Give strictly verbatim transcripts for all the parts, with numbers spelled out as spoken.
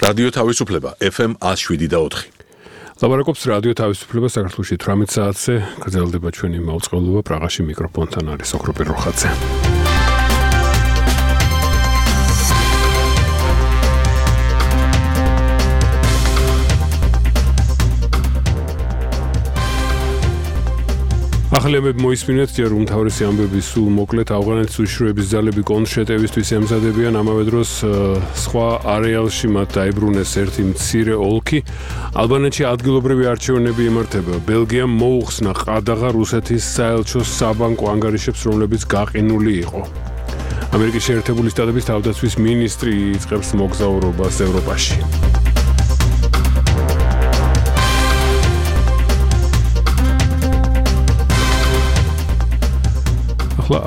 რადიო თავისუფლება ეფ ემ one oh seven და four. ლაპარაკობს რადიო თავისუფლება საქართველოში eighteen საათზე გრძელდება ჩვენი მაუწყებლობა პრაღაში მიკროფონთან არის ოქროპირ როხაძე. ახლებებ მოისმინეთ ჯერ უმთავრესი ამბები სულ მოკლედ ავღანეთის უშიშროების ძალები კონტრშეტევისთვის ემზადებიან ამავე დროს სხვა არეალში მათ დაიბრუნეს ერთი მცირე ოლქი ალბანეთში ადგილობრივი არჩევნები იმართება ბელგიამ მოუხსნა ყადაღა რუსეთის საელჩოს საბანკო ანგარიშებს რომლებიც გაყინული იყო ამერიკის შეერთებული შტატების თავდაცვის მინისტრი იწყებს მოგზაურობას ევროპაში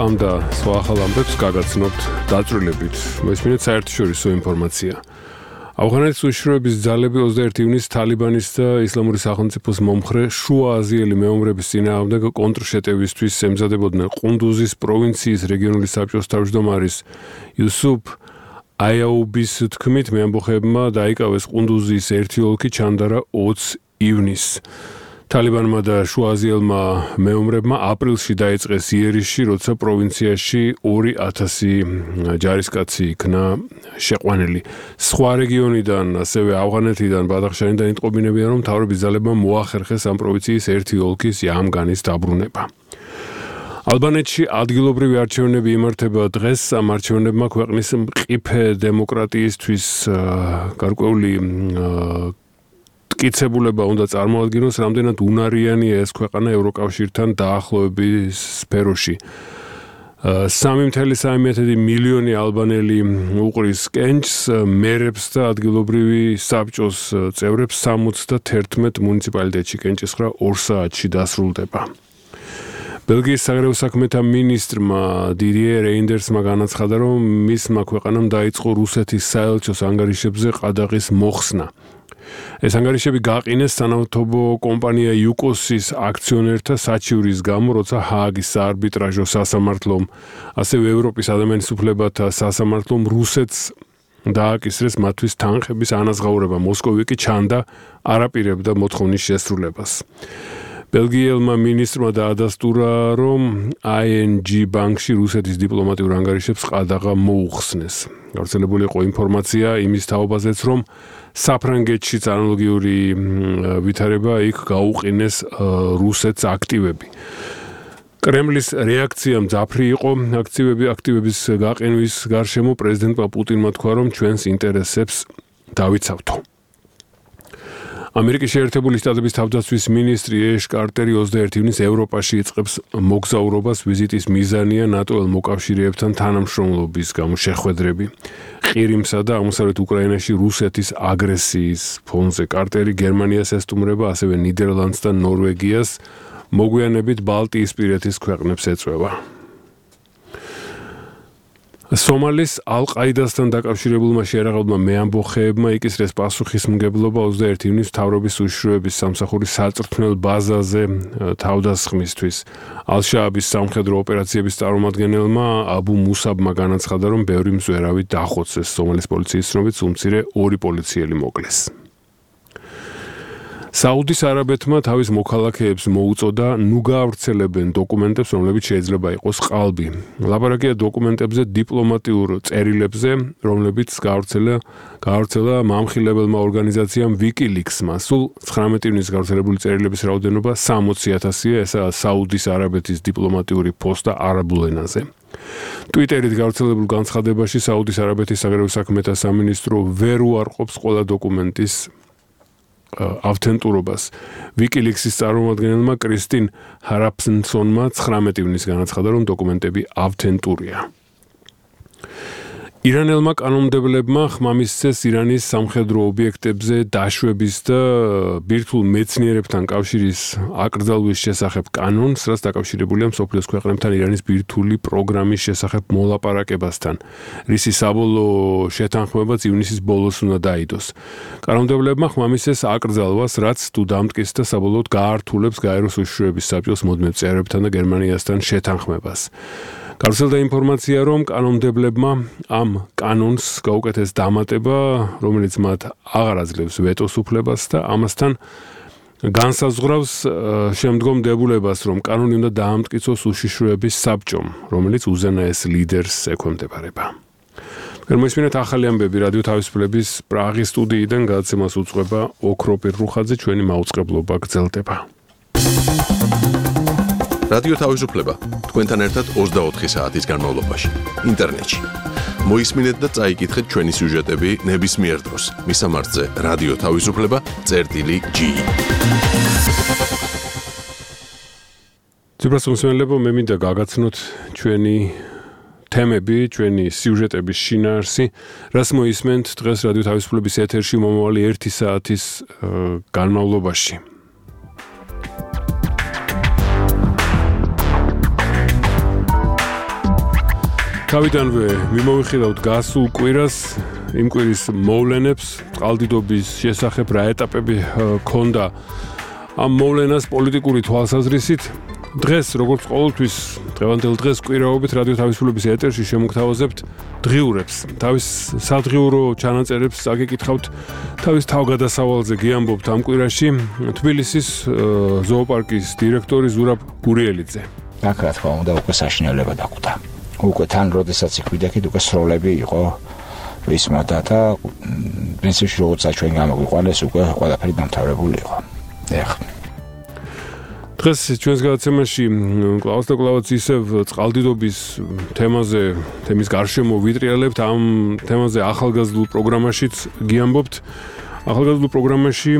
ამ და სხვა ახალ ამბებს გაგაცნობთ დაწვრილებით. მოისმინეთ საერთაშორისო ინფორმაცია. ავღანეთის უშიშროების ძალები twenty-first ივნისს თალიბანის და ისლამური სახელმწიფოს მომხრე შუა აზიელი მეომრების წინააღმდეგ კონტრშეტევისთვის ემზადებოდნენ ყუნდუზის პროვინციის რეგიონული საბჭოს თავმჯდომარის იუსუფ აიაუბის თქმით მეამბოხეებმა დაიკავეს ყუნდუზის ერთი ოლქი ჩანდარა twenty ივნისს. თალიბანმა და შუაზიელმა მეომრებმა აპრილში დაიწყეს იერიშში, როცა პროვინციაში two thousand ჯარისკაცი იქნა შეყვანილი. სხვა რეგიონიდან, ასევე ავღანეთიდან ბადახშანიდან იტყობინებიან, რომ მთავრობის ძალებმა მოახერხეს ამ პროვინციის ერთი ოლქის იამგანის დაბრუნება. ალბანეთში ადგილობრივი არჩევნები იმართება დღეს, ამ არჩევნებმა ქვეყნის მყიფე დემოკრატიისთვის გარკვეული კიცებულება უნდა წარმოადგინოს, რამდენად უნარიანია ეს ქვეყანა ევროკავშირთან დაახლოების სფეროში. three point three მილიონი ალბანელი უყრის კენჭს, მერებს და ადგილობრივი საბჭოს წევრებს seventy-one მუნიციპალიტეტში კენჭისხრა two საათში დასრულდება. ბელგიის საგარეო საქმეთა მინისტრმა დიდიე რეინდერსმა განაცხადა, რომ მისმა ქვეყანამ დაიწყო რუსეთის საელჩოს ანგარიშებზე ყადაღის მოხსნა. ეს ანგარიშები გაყინეს სანავთობო კომპანია იუკოსის აქციონერთა საჩივრის გამო, როცა ჰააგის საარბიტრაჟო სასამართლომ, ასევე ევროპის ადამიანის უფლებათა სასამართლომ რუსეთს დააკისრეს მათთვის თანხების ანაზღაურება. მოსკოვი კი ჩანდა არაპირებდა მოთხოვნის შესრულებას. ბელგიელმა მინისტრმა დაადასტურა, რომ აი ენ ჯი ბანკში რუსეთის დიპლომატიურ ანგარიშებს ყადაღა მოუხსნეს. გავრცელებული იყო ინფორმაცია იმის თაობაზეც, რომ საფრანგეთშიც ანალოგიური ვითარება იქ გაუყინეს რუსეთს აქტივები. კრემლის რეაქცია მძაფრი იყო აქტივები აქტივების გაყინვის გარშემო პრეზიდენტმა პუტინმა თქვა, რომ ჩვენს ინტერესებს დავიცავთო. ამერიკის შეერთებული შტატების თავდაცვის მინისტრი ეშ კარტერი twenty-first ივნისს ევროპაში იწყებს მოგზაურობას ვიზიტის მიზანია ნატოელ მოკავშირეებთან თანამშრომლობის გამო შეხვედრები. ყირიმსა და აღმოსავლეთ უკრაინაში რუსეთის აგრესიის ფონზე კარტერი გერმანიას ესტუმრება, ასევე ნიდერლანდს და ნორვეგიას, მოგვიანებით ბალტიისპირეთის ქვეყნებს ეწვევა. სომალის ალ-ყაიდასთან დაკავშირებულმა შეერაღებულმა მეამბოხეებმა იკისრეს პასუხისმგებლობა twenty-first ივნისს მთავრობის უშიშროების სამსახურის საწვრთნელ ბაზაზე თავდასხმისთვის. ალ-შააბის სამხედრო ოპერაციების წარმომადგენელმა აბუ მუსაბმა განაცხადა, რომ ბევრი მზვერავი დახოცეს. სომალის პოლიციის ცნობით უმცირე two პოლიციელი მოკლეს. საუდის არაბეთმა თავის მოქალაქეებს მოუწოდა ნუ გაავრცელებენ დოკუმენტებს, რომლებიც შეიძლება იყოს ყალბი. ლაპარაკია დოკუმენტებზე დიპლომატიურ წერილებზე, რომლებიც გაავრცელა გაავრცელა მამხილებელმა ორგანიზაციამ WikiLeaks-მა. სულ nineteen ივნისს გავრცელებული წერილების რაოდენობა sixty thousand-ია, ესაა საუდის არაბეთის დიპლომატიური პოსტა არაბულ ენაზე. ტვიტერით გავრცელებულ განცხადებაში საუდის არაბეთის საგარეო საქმეთა სამინისტრო ვერ უარყოფს ყველა დოკუმენტის ავთენტურობას. WikiLeaks-ის წარმომადგენელმა კრისტინ ჰარაფსონმა nineteen ივნისს განაცხადა, რომ დოკუმენტები ავთენტურია. ირანელმა კანონმდებლებმა ხმამისცეს ირანის სამხედრო ობიექტებზე დაშვების და ბირთვულ მეცნიერებთან კავშირის აკრძალვის შესახებ კანონს, რაც დაკავშირებულია მსოფლიოს ქვეყნებთან ირანის ბირთვული პროგრამის შესახებ მოლაპარაკებასთან, რისი საბოლოო შეთანხმებაც ივნისის ბოლოს უნდა დაიდოს. კანონმდებლებმა ხმამისცეს აკრძალვას, რაც თუ დამტკის და საბოლოოდ გაართულებს გაეროს უშიშროების საბჭოს მუდმივ წევრებთან და გერმანიასთან შეთანხმებას. გავრცელდა ინფორმაცია, რომ კანონმდებლებმა ამ კანონს გაუკეთეს დამატება, რომელიც მათ აღარ აძლევს ვეტოს უფლებას და ამასთან განსაზღვრავს შემდგომ დებულებას, რომ კანონი უნდა დაამტკიცოს უშიშროების საბჭომ, რომელიც უზენაეს ლიდერს ექვემდებარება. მოისმინეთ ახალი ამბები რადიო თავისუფლების პრაღის სტუდიიდან, გადაცემას უძღვება ოქრო პირრუხაძე, ჩვენი მაუწყებლობა გრძელდება. რადიო თავისუფლება თქვენთან ერთად ოცდაოთხი საათის განმავლობაში ინტერნეტში. მოისმინეთ და წაიკითხეთ ჩვენი სიუჟეტები ნებისმიერ დროს. მისამართზე რადიო თავისუფლება წერტილი ჯი. ძიბრას მსმენელებო, მე მინდა გაგაცნოთ ჩვენი თემები, ჩვენი სიუჟეტების შინაარსი, რას მოისმენთ დღეს რადიო თავისუფლების ეთერში მომავალი ერთი საათის განმავლობაში. თავიდანვე მიმოვიხილავთ გასულ კვირას, იმ კვირის მოვლენებს, წყალდიდობის შესახებ რა ეტაპები ჰქონდა ამ მოვლენას პოლიტიკური თვალსაზრისით. დღეს, როგორც ყოველთვის, დღევანდელ დღეს კვირაობით რადიო თავისუფლების ეთერში შემოგთავაზებთ დღიურებს. თავის სადღიურო ჩანაწერებს წაგიკითხავთ, თავის თავგადასავალზე გიამბობთ ამ კვირაში თბილისის ზოოპარკის დირექტორი ზურაბ გურიელიძე. აქ რა თქმა უნდა უკვე საშინელება დაკვდა. უკვე თან როდესაც იქ ვიდექით, უკვე სროლები იყო ვისმოდა და პრინციპში როგორც ჩვენ გამოგვიყვანეს, უკვე ყველაფერი დამთავრებული იყო. ეხლა დღეს ჩვენს გადაცემაში კლავაც და კლავაც ისევ წყალდიდობის თემაზე, თემის გარშემო ვიტრიალებთ, ამ თემაზე ახალგაზრდულ პროგრამაშიც გიამბობთ. ახალგაზრდულ პროგრამაში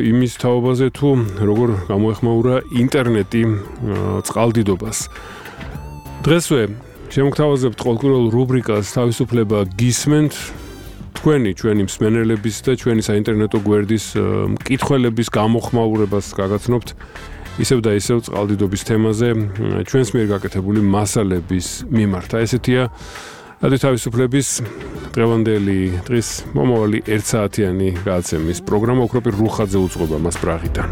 იმის თაობაზე თუ როგორ გამოეხმაურა ინტერნეტი წყალდიდობას. დღესვე შემოგთავაზებთ ყოველკვირეულ რუბრიკას თავისუფლება გისმენთ. თქვენი, ჩვენი მსმენელების და ჩვენი საინტერნეტო გვერდის მკითხველების გამოხმაურებას გაგაცნობთ ისევ და ისევ წყალდიდობის თემაზე ჩვენს მიერ გაკეთებული მასალების მიმართ. ესეთია რადიო თავისუფლების დღევანდელი დღის მომავალი ერთსაათიანი გადაცემის პროგრამა. ოქრო პირრუხაძე უძღვება მას პრაღიდან.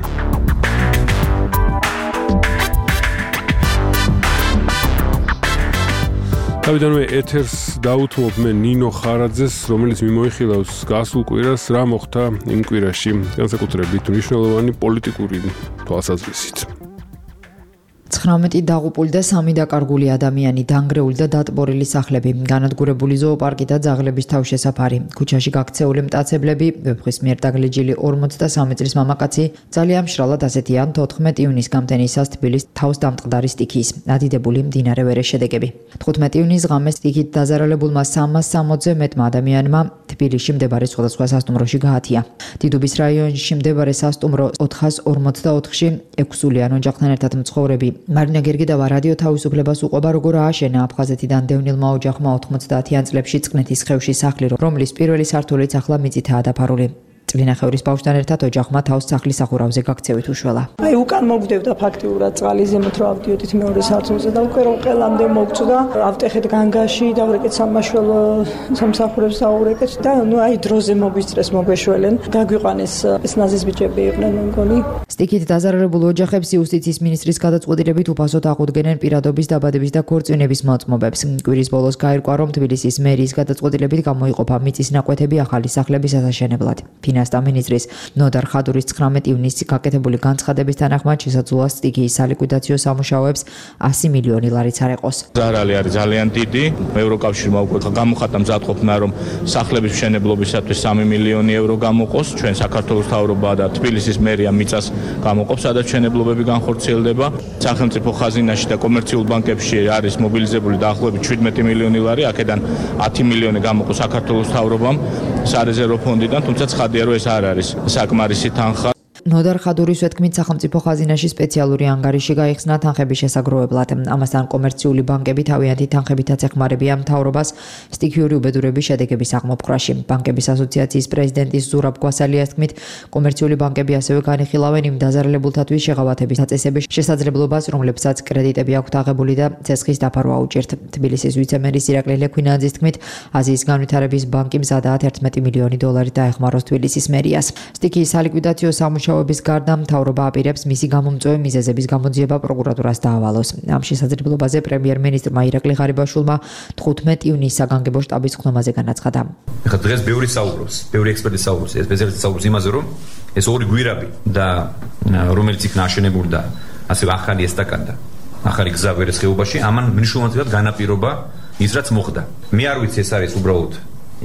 თავიდანვე ეთერს დაუთმობ მე ნინო ხარაძეს, რომელიც მიმოიხილავს გასულ კვირას, რა მოხდა იმ კვირაში, განსაკუთრებით მნიშვნელოვანი პოლიტიკური თვალსაზრისით. ცხრამეტი დაღუპული და სამი დაკარგული ადამიანი, დანგრეული და დატბორილი სახლები, განადგურებული ზოოპარკი და ძაღლების თავშესაფარი, ქუჩაში გაქცეული მტაცებლები, ვეფხვის მიერ დაგლეჯილი ორმოცდასამი წლის მამაკაცი, ძალიან მშრალად ასეთია თოთხმეტი ივნის გამთენისას თბილის თავს დამტყდარი სტიქიის, ადიდებული მდინარე ვერეს შედეგები. თხუთმეტი ივნის ღამეს სტიქით დაზარალებულმა სამას სამოცზე მეტმა ადამიანმა თბილისში მდებარე სხვადასხვა სასტუმროში გაათია. დიდუბის რაიონში მდებარე სასტუმრო ოთხას ორმოცდაოთხში ექვსსულიან ოჯახთან ერთად მცხოვრები მარინა გერგიდავა რადიო თავისუფლებას უყვება, როგორ ააშენა აფხაზეთიდან დევნილმა ოჯახმა ოთხმოცდაათიან წლებში წყნეთის ხევში სახლი, რომლის პირველი სართულიც ახლა მიწითაა დაფარული. წლინახევრის ბავშვთან ერთად ოჯახმა თავს სახლის სახურავზე გაქცევით უშველა. აი უკან მოგდევდა ფაქტიურად წყალი ზემოთ რომ ავდიოდით მეორე სართულზე და უკვე რომ ყელამდე მოგწოდა, ავტეხეთ განგაში, დავრეკეთ სამაშველო სამსახურებს აურეკეთ და ნუ აი დროზე მოგვისწრეს მოგვეშველენ. დაგვიყვანეს ეს ნაზის ბიჭები იყვნენ მგონი. სტიქით დაზარალებულ ოჯახებს იუსტიციის მინისტრის გადაწყვეტილებით უფასოდ აღუდგენენ პირადობის დაბადების და ქორწინების მოწმობებს. კვირის ბოლოს გაირკვა, რომ თბილისის მერიის გადაწყვეტილებით გამოიყოფა მიწის ნაკვეთები ახალი სახლების ასაშენებლად. ფინანსთა მინისტრის ნოდარ ხადურის ცხრამეტი ივნისს გაკეთებული განცხადების თანახმად შესაძლოა სტიქიის სალიკვიდაციო სამუშაოებს ასი მილიონი ლარიც არ ეყოს. ზარალი არის ძალიან დიდი. ევროკავშირმა უკვე გამოხატა მზადყოფნა, რომ სახლების მშენებლობისათვის სამი მილიონი ევრო გამოყოს. ჩვენ საქართველოს მთავრობა და თბილისის მერია მიწას გამოყოფს, სადაც მშენებლობები განხორციელდება. სახელმწიფო ხაზინაში და კომერციულ ბანკებში არის მობილიზებული დაახლოებით შვიდმეტი მილიონი ლარი, აქედან ათი მილიონი გამოყოს საქართველოს მთავრობამ სარეზერვო ფონდიდან, თუმცა ცხადია, რომ ეს არ არის საკმარისი თანხა. ნოდარ ხადურის ვეთქმით სახელმწიფო ხაზინაში სპეციალური ანგარიში გაიხსნა თანხების შესაგროვებლად. ამასთან კომერციული ბანკები თავიანთი თანხებითაც ეხმარებიან მთავრობას სტიქიური უბედურების შედეგების აღმოფხვრაში. ბანკების ასოციაციის პრეზიდენტის ზურაბ გვასალიას თქმით, კომერციული ბანკები ასევე განიხილავენ იმ დაზარალებულთათვის შეღავათების დაწესების შესაძლებლობას, რომლებსაც კრედიტები აქვთ აღებული და ცესხის დაფარვა უჭირთ. თბილისის ვიცე-მერის ირაკლი ლექვინაძის თქმით, აზიის განვითარების ბანკი მზადაა ერთმეტი მილიონი დოლარი დაეხმაროს თბილისის მერიას. სტიქიის სალიკვიდაციო სამუშაო მუშაობის გარდა მთავრობა აპირებს მისი გამომწვევი მიზეზების გამოძიება პროკურატურას დაავალოს. ამ შესაძლებლობაზე პრემიერ-მინისტრმა ირაკლი ღარიბაშვილმა თხუთმეტი ივნისს საგანგებო შტაბის ხდომაზე განაცხადა. ეხლა დღეს ბევრი საუბრობს, ბევრი ექსპერტი საუბრობს, სპეციალისტი საუბრობს იმაზე, რომ ეს ორი გვირაბი და რომელიც იქ ნაშენებული და ასევე ახალი ესტაკადა, ახალი გზა ვერეს ხეობაში, ამან მნიშვნელოვნად განაპირობა ის რაც მოხდა. მე არ ვიცი ეს არის უბრალოდ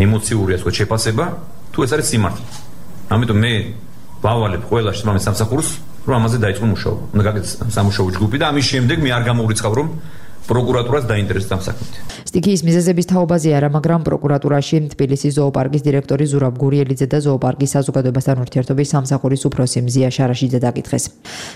ემოციური ასე შეფასება, თუ ეს არის სიმართლე. ამიტომ მე ვავალებ ყველა შემამის სამსახურს, რომ ამაზე დაიწყო მუშაობა. უნდა გაკეთდეს სამუშაო ჯგუფი და ამის შემდეგ მე არ გამოვრიცხავ, რომ პროკურატურას დაინტერესებს ამ საქმით. სტიქიის მიზეზების თაობაზე არა, მაგრამ პროკურატურაში თბილისის ზოოპარკის დირექტორი ზურაბ გურიელიძე და ზოოპარკის საზოგადოებასთან ურთიერთობის სამსახურის უფროსი მზია შარაშიძე დაკითხეს.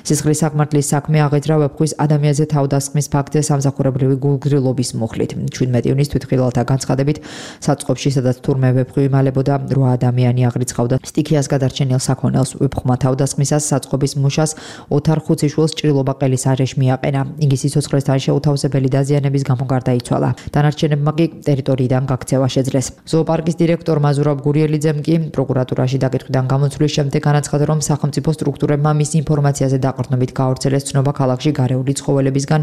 სისხლის საკმართლის საქმე აღეძრა ვეფხვის ადამიანზე თავდასხმის ფაქტზე სამსახურებრივი გულგრილობის მუხლით. შვიდმეტი ივნისს თვითმხილველთა განცხადებით საწყობში, სადაც თურმე ვეფხვი იმალებოდა, რვა ადამიანი აღრიცხავდა სტიქიას გადარჩენილ საქონელს. ვეფხმა თავდასხმისას საწყობის მუშას ოთარ ხუციშვილს ჭრილობა ყელის არეში მიაყენა. იგი სიცოცხლესთან შეუთავსებელი დაზიანების გამო გარდაიცვალა. დანარჩენებმა კი ტერიტორიიდან გაქცევა შეძლეს. ზოოპარკის დირექტორმა ზურაბ გურიელიძემ კი პროკურატურაში დაკითხვიდან გამოცვლის შემდეგ განაცხადა, რომ სახელმწიფო სტრუქტურებმა მის ინფორმაციაზე დაყრდნობით გაავრცელეს ცნობა ქალაქში გარეული ცხოველებისგან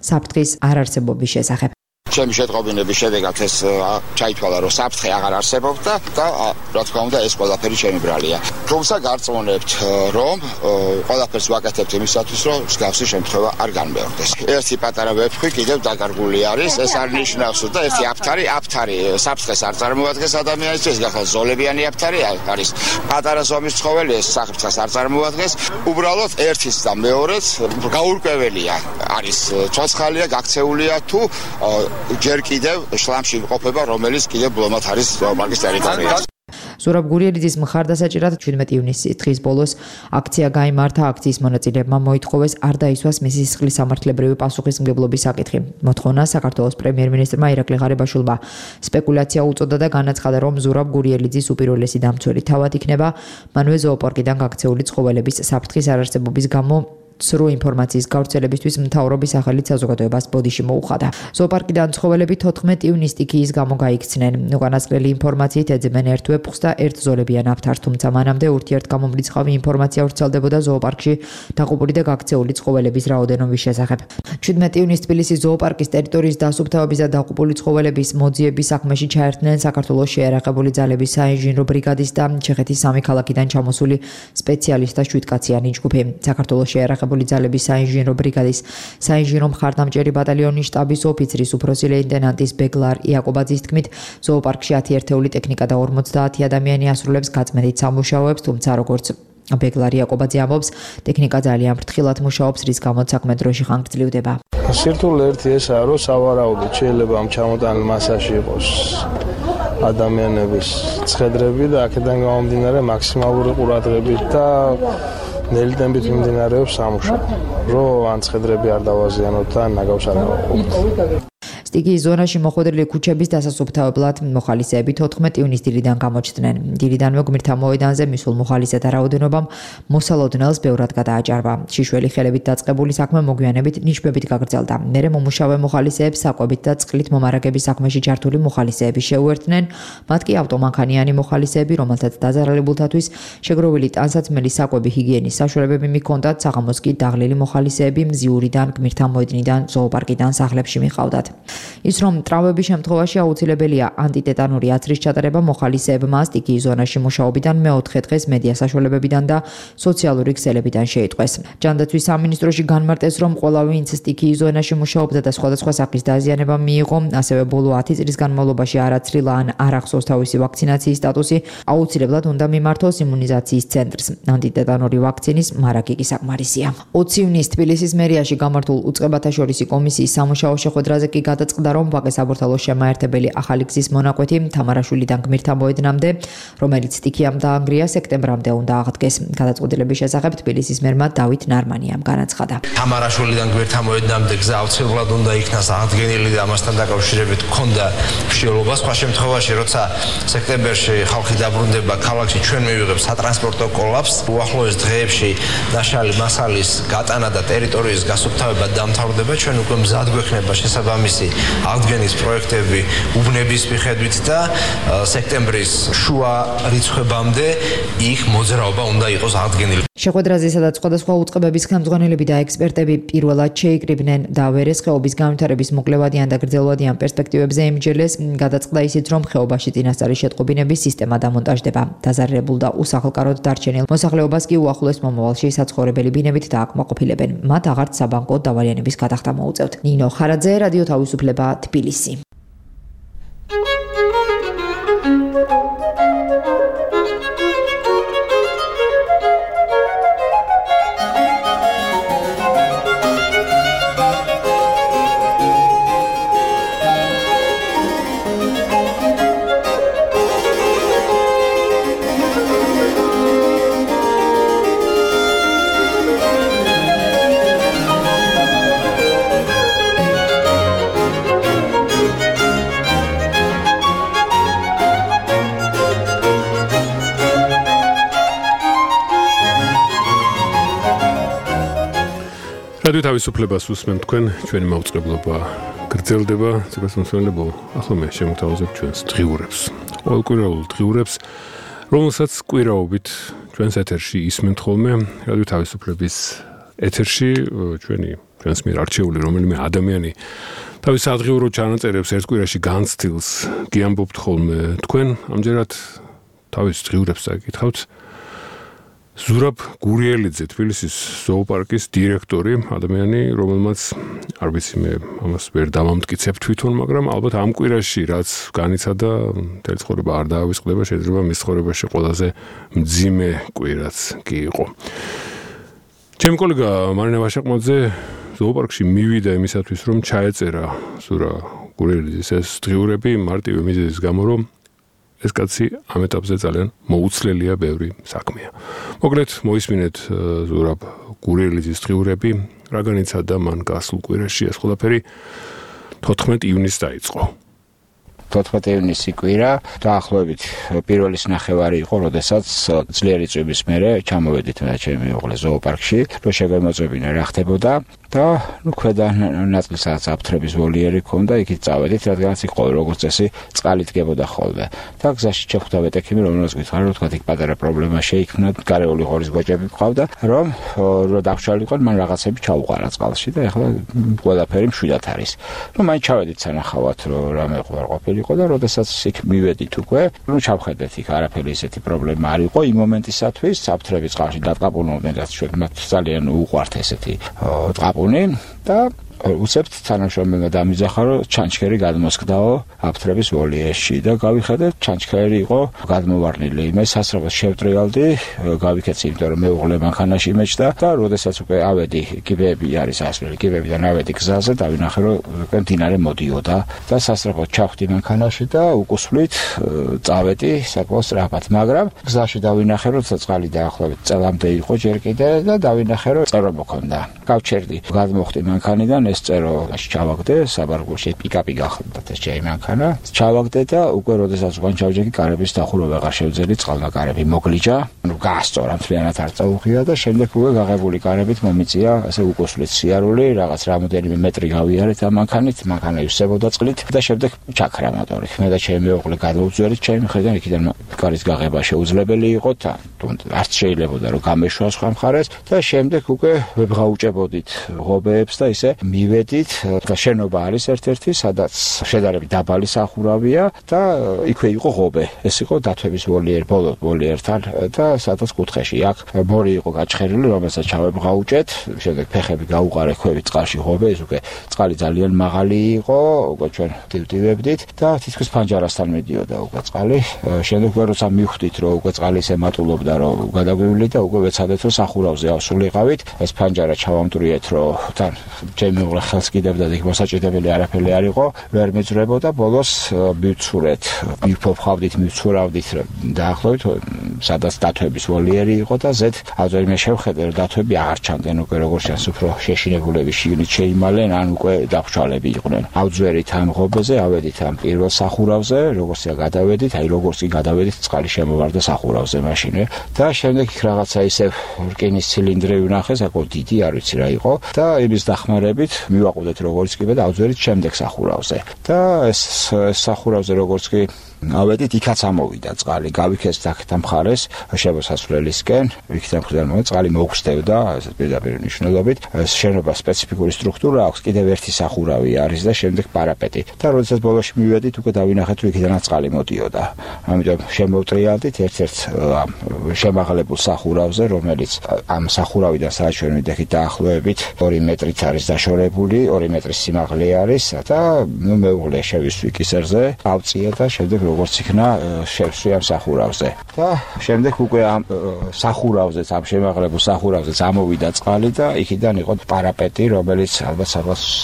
საფრთხის არარსებობის შესახებ. ჩემი შეტყობინების შედეგად ეს ჩაითვალა, რომ საფრთხე აღარ არსებობდა და რა თქმა უნდა ეს ყველაფერი ჩემი ბრალია. თუმცა გარწმუნებთ, რომ ყველაფერს ვაკეთებთ იმისათვის, რომ მსგავსი შემთხვევა არ განმეორდეს. ერთი პატარა ვეფხვი კიდევ დაკარგული არის, ეს არ ნიშნავს, და ერთი აფთარი, აფთარი საფრთხეს არ წარმოადგენს ადამიანისთვის, გახალ ზოლებიანი აფთარი არის. პატარა ზომის ცხოველი ეს საფრთხეს არ წარმოადგენს, უბრალოდ ერთის და მეორეს გაურკვეველია. არის ცოცხალია, გაქცეულია თუ ჯერ კიდევ შლამში იმყოფება, რომელიც კიდევ ბლომად არის ზოოპარკის ტერიტორიაზე. ზურაბ გურიელიძის მხარდასაჭერად შვიდმეტი ივნისის დღის ბოლოს აქცია გაიმართა. აქციის მონაწილეებმა მოითხოვეს არ დაისვას მისი სისხლის სამართლებრივი პასუხისმგებლობის საკითხი. მოთხოვნა საქართველოს პრემიერ-მინისტრმა ირაკლი ღარიბაშვილმა სპეკულაცია უწოდა და განაცხადა, რომ ზურაბ გურიელიძის უპირველესი დამცველი თავად იქნება, მანვე ზოოპარკიდან გაქცეული ცხოველების საფრთხის არარსებობის გამო სრულ ინფორმაციის გავრცელებისთვის მთავრობის სახელით საზოგადოებას ბოდიში მოუხადა. ზოოპარკიდან ცხოველები თოთხმეტი ივნისს სტიქიის გამო გაიქცნენ. უკანასკნელი ინფორმაციით ეძებენ ერთ ვეფხვს და ერთ ზოლებიან აფთარს, თუმცა მანამდე ურთიერთგამომრიცხავი ინფორმაცია ვრცელდებოდა ზოოპარკში დაღუპული და გაქცეული ცხოველების რაოდენობის შესახებ. შვიდმეტი ივნისს თბილისის ზოოპარკის ტერიტორიის დასუფთავების და დაღუპული ცხოველების მოძიების საქმეში ჩაერთნენ საქართველოს შეიარაღებული ძალების საინჟინრო ბრიგადის და ჩეხეთის სამი ქალაქიდან ჩამოსული სპეციალისტთა შვიდკაციანი ჯგუფი. საქართველოს შეიარაღებული ძალების საინჟინრო ბრიგადის საინჟინრო მხარდამჭერი ბატალიონის შტაბის ოფიცრის უფროსი ლეიტენანტის ბეგლარ იაკობაძის თქმით, ზოოპარკში ათი ერთეული ტექნიკა და ორმოცდაათი ადამიანი ასრულებს გაწმენდით სამუშაოებს, თუმცა როგორც ბეგლარ იაკობაძე ამბობს, ტექნიკა ძალიან ფრთხილად მუშაობს, რის გამოც საქმე დროში ხანგრძლივდება. სირთულე ერთი ესაა, რომ სავარაუდოდ შეიძლება ამ ჩამოტანილ მასაში იყოს ადამიანების ცხედრები და აქედან გამომდინარე მაქსიმალური ყურადღებით და ნელიტებით მიმდინარეობს სამუშაო, რომ ან ცხედრები არ დავაზიანოთ და ნაგავს არ გავაყობთ. სტიქიის ზონაში მოხვედრილი ქუჩების დასასუფთავებლად მოხალისეები თოთხმეტი ივნისს დილიდან გამოჩნდნენ. დილიდანვე გმირთა მოედანზე მისულ მოხალისეთა რაოდენობამ მოსალოდნელს ბევრად გადააჭარბა. შიშველი ხელებით დაწყებული საქმე მოგვიანებით ნიშბებით გაგრძელდა. მერე მომუშავე მოხალისეებს საკვებით და წყლით მომარაგების საქმეში ჩართული მოხალისეები შეუერთდნენ. მათ კი ავტომანქანიანი მოხალისეები, რომელთაც დაზარალებულთათვის შეგროვილი ტანსაცმელი საკვები ჰიგიენის საშუალებები მიჰქონდათ, საღამოს კი დაღლილი მოხალისეები მზიურიდან, გმირთა მოედნიდან, ზოოპარკიდან სახლებში მიყავდათ. ის რომ ტრავმების შემთხვევაში აუცილებელია ანტიტეტანური აცრის ჩატარება მოხალისეებმა სტიქიის ზონაში მუშაობიდან მეოთხე დღეს მედია საშუალებებიდან და სოციალური ქსელებიდან შეიტყვეს. ჯანდაცვის სამინისტროში განმარტეს, რომ ყველა ვინც სტიქიის ზონაში მუშაობდა და სხვადასხვა სახის დაზიანება მიიღო, ასევე ბოლო ათი წლის განმავლობაში არ აცრილა ან არ ახსოვს თავისი ვაქცინაციის სტატუსი, აუცილებლად უნდა მიმართოს იმუნიზაციის ცენტრს. ანტიტეტანური ვაქცინის მარაგი კი საკმარისია. ოცი ივნისს თბილისის მერიაში გამართულ უწყებათა შორისი კომისიის სამუშაო შეხვედრაზე კი გადაწყდა, რომ ვაკე საბურთალოს შემაერთებელი ახალი გზის მონაკვეთი თამარაშვილიდან გმირთა მოედნამდე, რომელიც სტიქიამ დაანგრია, სექტემბრამდე უნდა აღდგეს. გადაწყვეტილების შესახებ თბილისის მერმა დავით ნარმანიამ განაცხადა. თამარაშვილიდან გმირთა მოედნამდე გზა აუცილებლად უნდა იქნას აღდგენილი და ამასთან დაკავშირებით ჰქონდა მსჯელობა. სხვა შემთხვევაში, როცა სექტემბერში ხალხი დაბრუნდება ქალაქში, ჩვენ მივიღებთ სატრანსპორტო კოლაფსს. უახლოეს დღეებში ნაშალი მასალის გატანა და ტერიტორიის გასუფთავება დამთავრდება. ჩვენ უკვე მზად გვექნება შესაბამისი აღდგენის პროექტები უბნების მიხედვით და სექტემბრის შუა რიცხვებამდე იქ მოძრაობა უნდა იყოს აღდგენილი. შეხვედრაზე სადაც სხვადასხვა უწყებების ხელმძღვანელები და ექსპერტები პირველად შეიკრიბნენ და ვერეს ხეობის განვითარების მოკლევადიან და გრძელვადიან პერსპექტივებზე ემჯელეს, გადაწყდა ისიც, რომ ხეობაში წინასწარი შეტყობინების სისტემა დამონტაჟდება. დაზარალებულ და უსახლკაროდ დარჩენილ მოსახლეობას კი უახლოეს მომავალში საცხოვრებელი ბინებით დააკმაყოფილებენ. მათ აღარც საბანკო დავალიანების გადახდა მოუწევთ. ნინო ხარაძე, რადიო თავისუფლება, თბილისი. რადიო თავისუფლებას უსმენთ თქვენ, ჩვენი მაუწყებლობა გრძელდება, ცეკასმოსმენლებო, ახლა მე შემოგთავაზებ ჩვენს დღიურებს. ყოველკვირეულ დღიურებს, რომელსაც კვირაობით ჩვენს ეთერში ისმენთ ხოლმე, რადიო თავისუფლების ეთერში ჩვენი ჩვენს მიერ არჩეული რომელიმე ადამიანი თავის ადღიურო ჩანაწერებს ერთ კვირაში განცდილს გიამბობთ ხოლმე თქვენ, ამჯერად თავის დღიურებს წაკითხავთ. ზურაბ გურიელიძე, თბილისის ზოოპარკის დირექტორი, ადამიანი, რომელმაც არ ვიცი მე ამას ვერ დავამტკიცებ თვითონ, მაგრამ ალბათ ამ კვირაში რაც განიცადა, მთელი ცხოვრება არ დაავიწყდება, შეიძლება მის ცხოვრებაში ყველაზე მძიმე კვირაც კი იყო. ჩემი კოლეგა მარინა ვაშაყმაძე ზოოპარკში მივიდა იმისათვის, რომ ჩაეწერა ზურაბ გურიელიძის ეს დღიურები მარტივი მიზეზის გამო, რომ ეს კაცი ამ ეტაპზე ძალიან მოუცლელია ბევრი საქმეა. მოკლედ მოისმინეთ ზურაბ გურიელიძის დღიურები, რა განიცადა მან გასულ კვირაში, ეს ყველაფერი თოთხმეტი ივნისს დაიწყო. თოთხმეტი ივნისი კვირა დაახლოებით პირველის ნახევარი იყო, როდესაც ძლიერი წვიმის მერე ჩამოვედით და ჩემი უღლე ზოოპარკში, რომ შეგვემოწმებინა რა ხდებოდა და ნუ ქვედა ნაწილსაც აფთრების ვოლიერი ქონდა, იქით წავედით, რადგანაც იქ ყოველ როგორც წესი წყალი დგებოდა ხოლმე. და გზაში შეხვდა ვეტექიმი, რომელსაც გითხარ, რომ თქვა იქ პატარა პრობლემა შეიქმნა, გარეული ღორის გოჭები მყავდა, რომ რო დაგშალიყო, მან რაღაცები ჩაუყარა წყალში და ეხლა ყველაფერი მშვიდად არის. რომ მაინც ჩავედით სანახავად, რომ რამე ყوار ყოფილი იყო და როდესაც იქ მივედით უკვე, ნუ ჩავხედეთ იქ არაფერი ისეთი პრობლემა არ იყო იმ მომენტისათვის, აფთრები წყალში დატყაპუნობდნენ, რაც ჩვენ მათ ძალიან უყვართ ესეთი ტყაპუნი და უცებთ თანამშრომელმა დამიძახა, რომ ჩანჩქერი გადმოსკდაო აფთრების ვოლიერში და გავიხედეთ, ჩანჩქერი იყო გადმოვარნილი. მე სასწრაფოს შევტრიალდი, გავიქეცი, იმიტომ რომ მეუღლე მანქანაში მეჭდა და როდესაც უკვე ავედი, კიბეები არის ასვლელი, კიბეებიდან ავედი გზაზე, დავინახე, რომ უკვე მდინარე მოდიოდა და სასწრაფოდ ჩავხდი მანქანაში და უკუსვლით წავედი საკმაოდ სწრაფად, მაგრამ გზაში დავინახე, რომ წყალი დაახლოებით წელამდე იყო ჯერ კიდე და დავინახე, რომ წერო მოქონდა. გავჩერდი, გადმოხდი მანქანიდან ეს წერო ჩავაგდე, საბარგულში პიკაპი გახლდათ ეს ჩემი მანქანა. ჩავაგდე და უკვე როდესაც უკან ჩავჯექი, კარების დახურვა აღარ შევძელი, წყალმა კარები მოგლიჯა. ნუ გაასწორა, მთლიანად არ წაუღია და შემდეგ უკვე გაღებული კარებით მომიწია, ასე უკუსვლით სიარული, რაღაც რამოდენიმე მეტრი გავიარეთ ამ მანქანით, მანქანა ივსებოდა წყლით და შემდეგ ჩაქრა მოტორი. მე და ჩემი მეუღლე გადავუძვერით ჩემი მხრიდან, იქიდან კარის გაღება შეუძლებელი იყო და არც შეიძლებოდა რომ გამეშვა სხვა მხარეს და შემდეგ უკვე ვებღაუჭებოდით ღობეებს და ისე მივედით და შენობა არის ერთ-ერთი, სადაც შედარებით დაბალი სახურავია და იქვე იყო ღობე. ეს იყო დათვების ვოლიერი, ბოლო ვოლიერთან და სადაც კუთხეში აქ მორი იყო გაჩხერილი, რომელსაც ჩავებღაუჭეთ, შემდეგ ფეხები გაუყარე ქვევით წყალში ღობე, ეს უკვე წყალი ძალიან მაღალი იყო, უკვე ჩვენ დივდივებდით და თითქოს ფანჯარასთან მიდიოდა უკვე წყალი. შემდეგ უკვე როცა მივხვდით, რომ უკვე წყალი ისე მატულობდა, რომ გადაგვივლით და უკვე ვეცადეთ, რომ სახურავზე ავსულიყავით, ეს ფანჯარა ჩავამტვრიეთ, რომ თან ჩემი მეუღლე ხელს კიდევდა და იქ მოსაჭიდებელი არაფერი არ იყო, ვერ მეძრებოდა, ბოლოს მივცურეთ, მივფოფხავდით, მივცურავდით დაახლოებით, სადაც დათვების ვოლიერი იყო და ზედ აზერმე შევხედე, რომ დათვები აღარ ჩანდნენ უკვე როგორც ჩანს, უფრო შეშინებულები შიგნით შეიმალენ, ან უკვე დაფშვალები იყვნენ. ავძვერით ამ ღობეზე, ავედით ამ პირველ სახურავზე, როგორც გადავედით, აი როგორც კი გადავედით, წყალი შემოვარდა სახურავზე მაშინვე და შემდეგ იქ რაღაცა ისე რკინის ცილინდრი ვნახე, საკმაოდ დიდი, არ ვიცი რა იყო და იმის დახმარებით მივაყუდეთ როგორც კი და ავძვერით შემდეგ სახურავზე. და ეს სახურავზე როგორც კი ავედით, იქაც ამოვიდა წყალი, გავიქეცთ აქეთ მხარეს, შემოსასვლელისკენ, იქიდან მხრიდან მოვა წყალი მოგვსდებდა, ესეთ პირდაპირ მნიშვნელობით. ეს შენობა სპეციფიკური სტრუქტურა აქვს, კიდევ ერთი სახურავი არის და შემდეგ პარაპეტი. და როდესაც ბოლოში მივედით, უკვე დავინახეთ, რომ იქიდანაც წყალი მოდიოდა. ამიტომ შემოვტრიალდით ერთ-ერთ შემაღლებულ სახურავზე, რომელიც ამ სახურავიდან სადაც ჩვენ ვიდექით დაახლოებით ორი მეტრით არის დაშორებული, ორი მეტრის სიმაღლე არის და ნუ მეუღლე შევისვი კისერზე, ავწია და შემდეგ როგორც იქნა შევსვი ამ სახურავზე. და შემდეგ უკვე ამ სახურავზეც, ამ შემაღლებულ სახურავზეც ამოვიდა წყალი და იქიდან იყო პარაპეტი, რომელიც ალბათ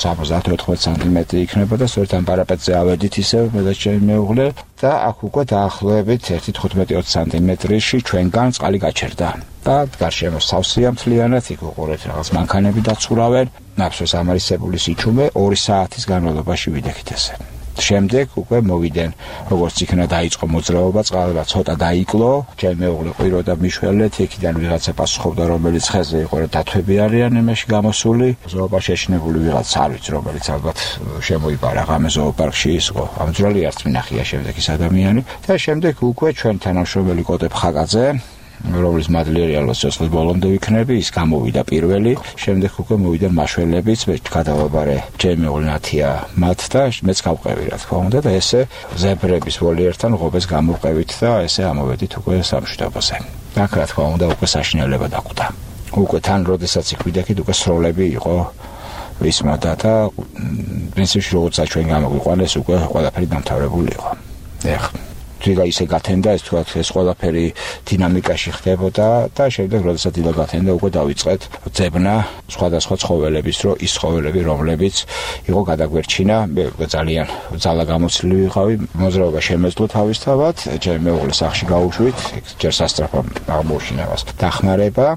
სამოცდაათი ოთხმოცი სანტიმეტრი იქნება და სწორედ ამ პარაპეტზე ავედით ისევ მე და ჩემი მეუღლე და აქ უკვე დაახლოებით ერთი თხუთმეტი ოცი სანტიმეტრში ჩვენგან წყალი გაჩერდა. და გარშემო სავსეა მთლიანად, იქ უყურეთ რაღაც მანქანები დაცურავენ, ნაფსოს ამარისებული სიჩუმე ორი საათის განმავლობაში ვიდექით ესე. შემდეგ უკვე მოვიდნენ, როგორც იქნა დაიწყო მოძრაობა, წყალება ცოტა დაიკლო, ჩემი მეუღლე ყვიროდა მიშველეთ, იქიდან ვიღაცა პასუხობდა, რომელიც ხეზე იყო, რომ დათვები არიან იმაში გამოსული, ზოოპარკ შეშინებული ვიღაც არ ვიცი, რომელიც ალბათ შემოიპარა ღამე ზოოპარკში ისო, ამძვრალი არც მინახია შემდეგ ის ადამიანი და შემდეგ უკვე ჩვენ თანამშრომელი კოტე ფხაკაძე რომლის მადლიერი ალბათ სიცოცხლის ბოლომდე ვიქნები, ის გამოვიდა პირველი, შემდეგ უკვე მოვიდა მაშველებიც, მე გადავაბარე ჩემი მეუღლე ნათია მათ და მეც გავყევი რა თქმა უნდა და ესე ზებრების ვოლიერთან ღობეს გამოვყევით და ესე ამოვედით უკვე სამშვიდობოზე. აქ რა თქმა უნდა უკვე საშინელება დაკვდა. უკვე თან როდესაც იქ ვიდექით უკვე სროლები იყო ვისმოდა და პრინციპში როგორც ჩვენ გამოგვიყვანეს უკვე ყველაფერი დამთავრებული იყო. ეხლა თვითონ ისე გათენდა ეს თქვა ეს ყველაფერი დინამიკაში ხდებოდა და შემდეგ როდესაც დილა გათენდა უკვე დავიწყეთ ძებნა სხვადასხვა ცხოველების, რომ ის ცხოველები რომლებიც იყო გადაგვერჩინა, მე ძალიან ძალა გამოცლილი ვიყავი, მოძრაობა შემეძლო თავისთავად, ჩემი მეუღლე სახში გაუშვით, ჯერ სასწრაფო აღმოჩინებას დახმარება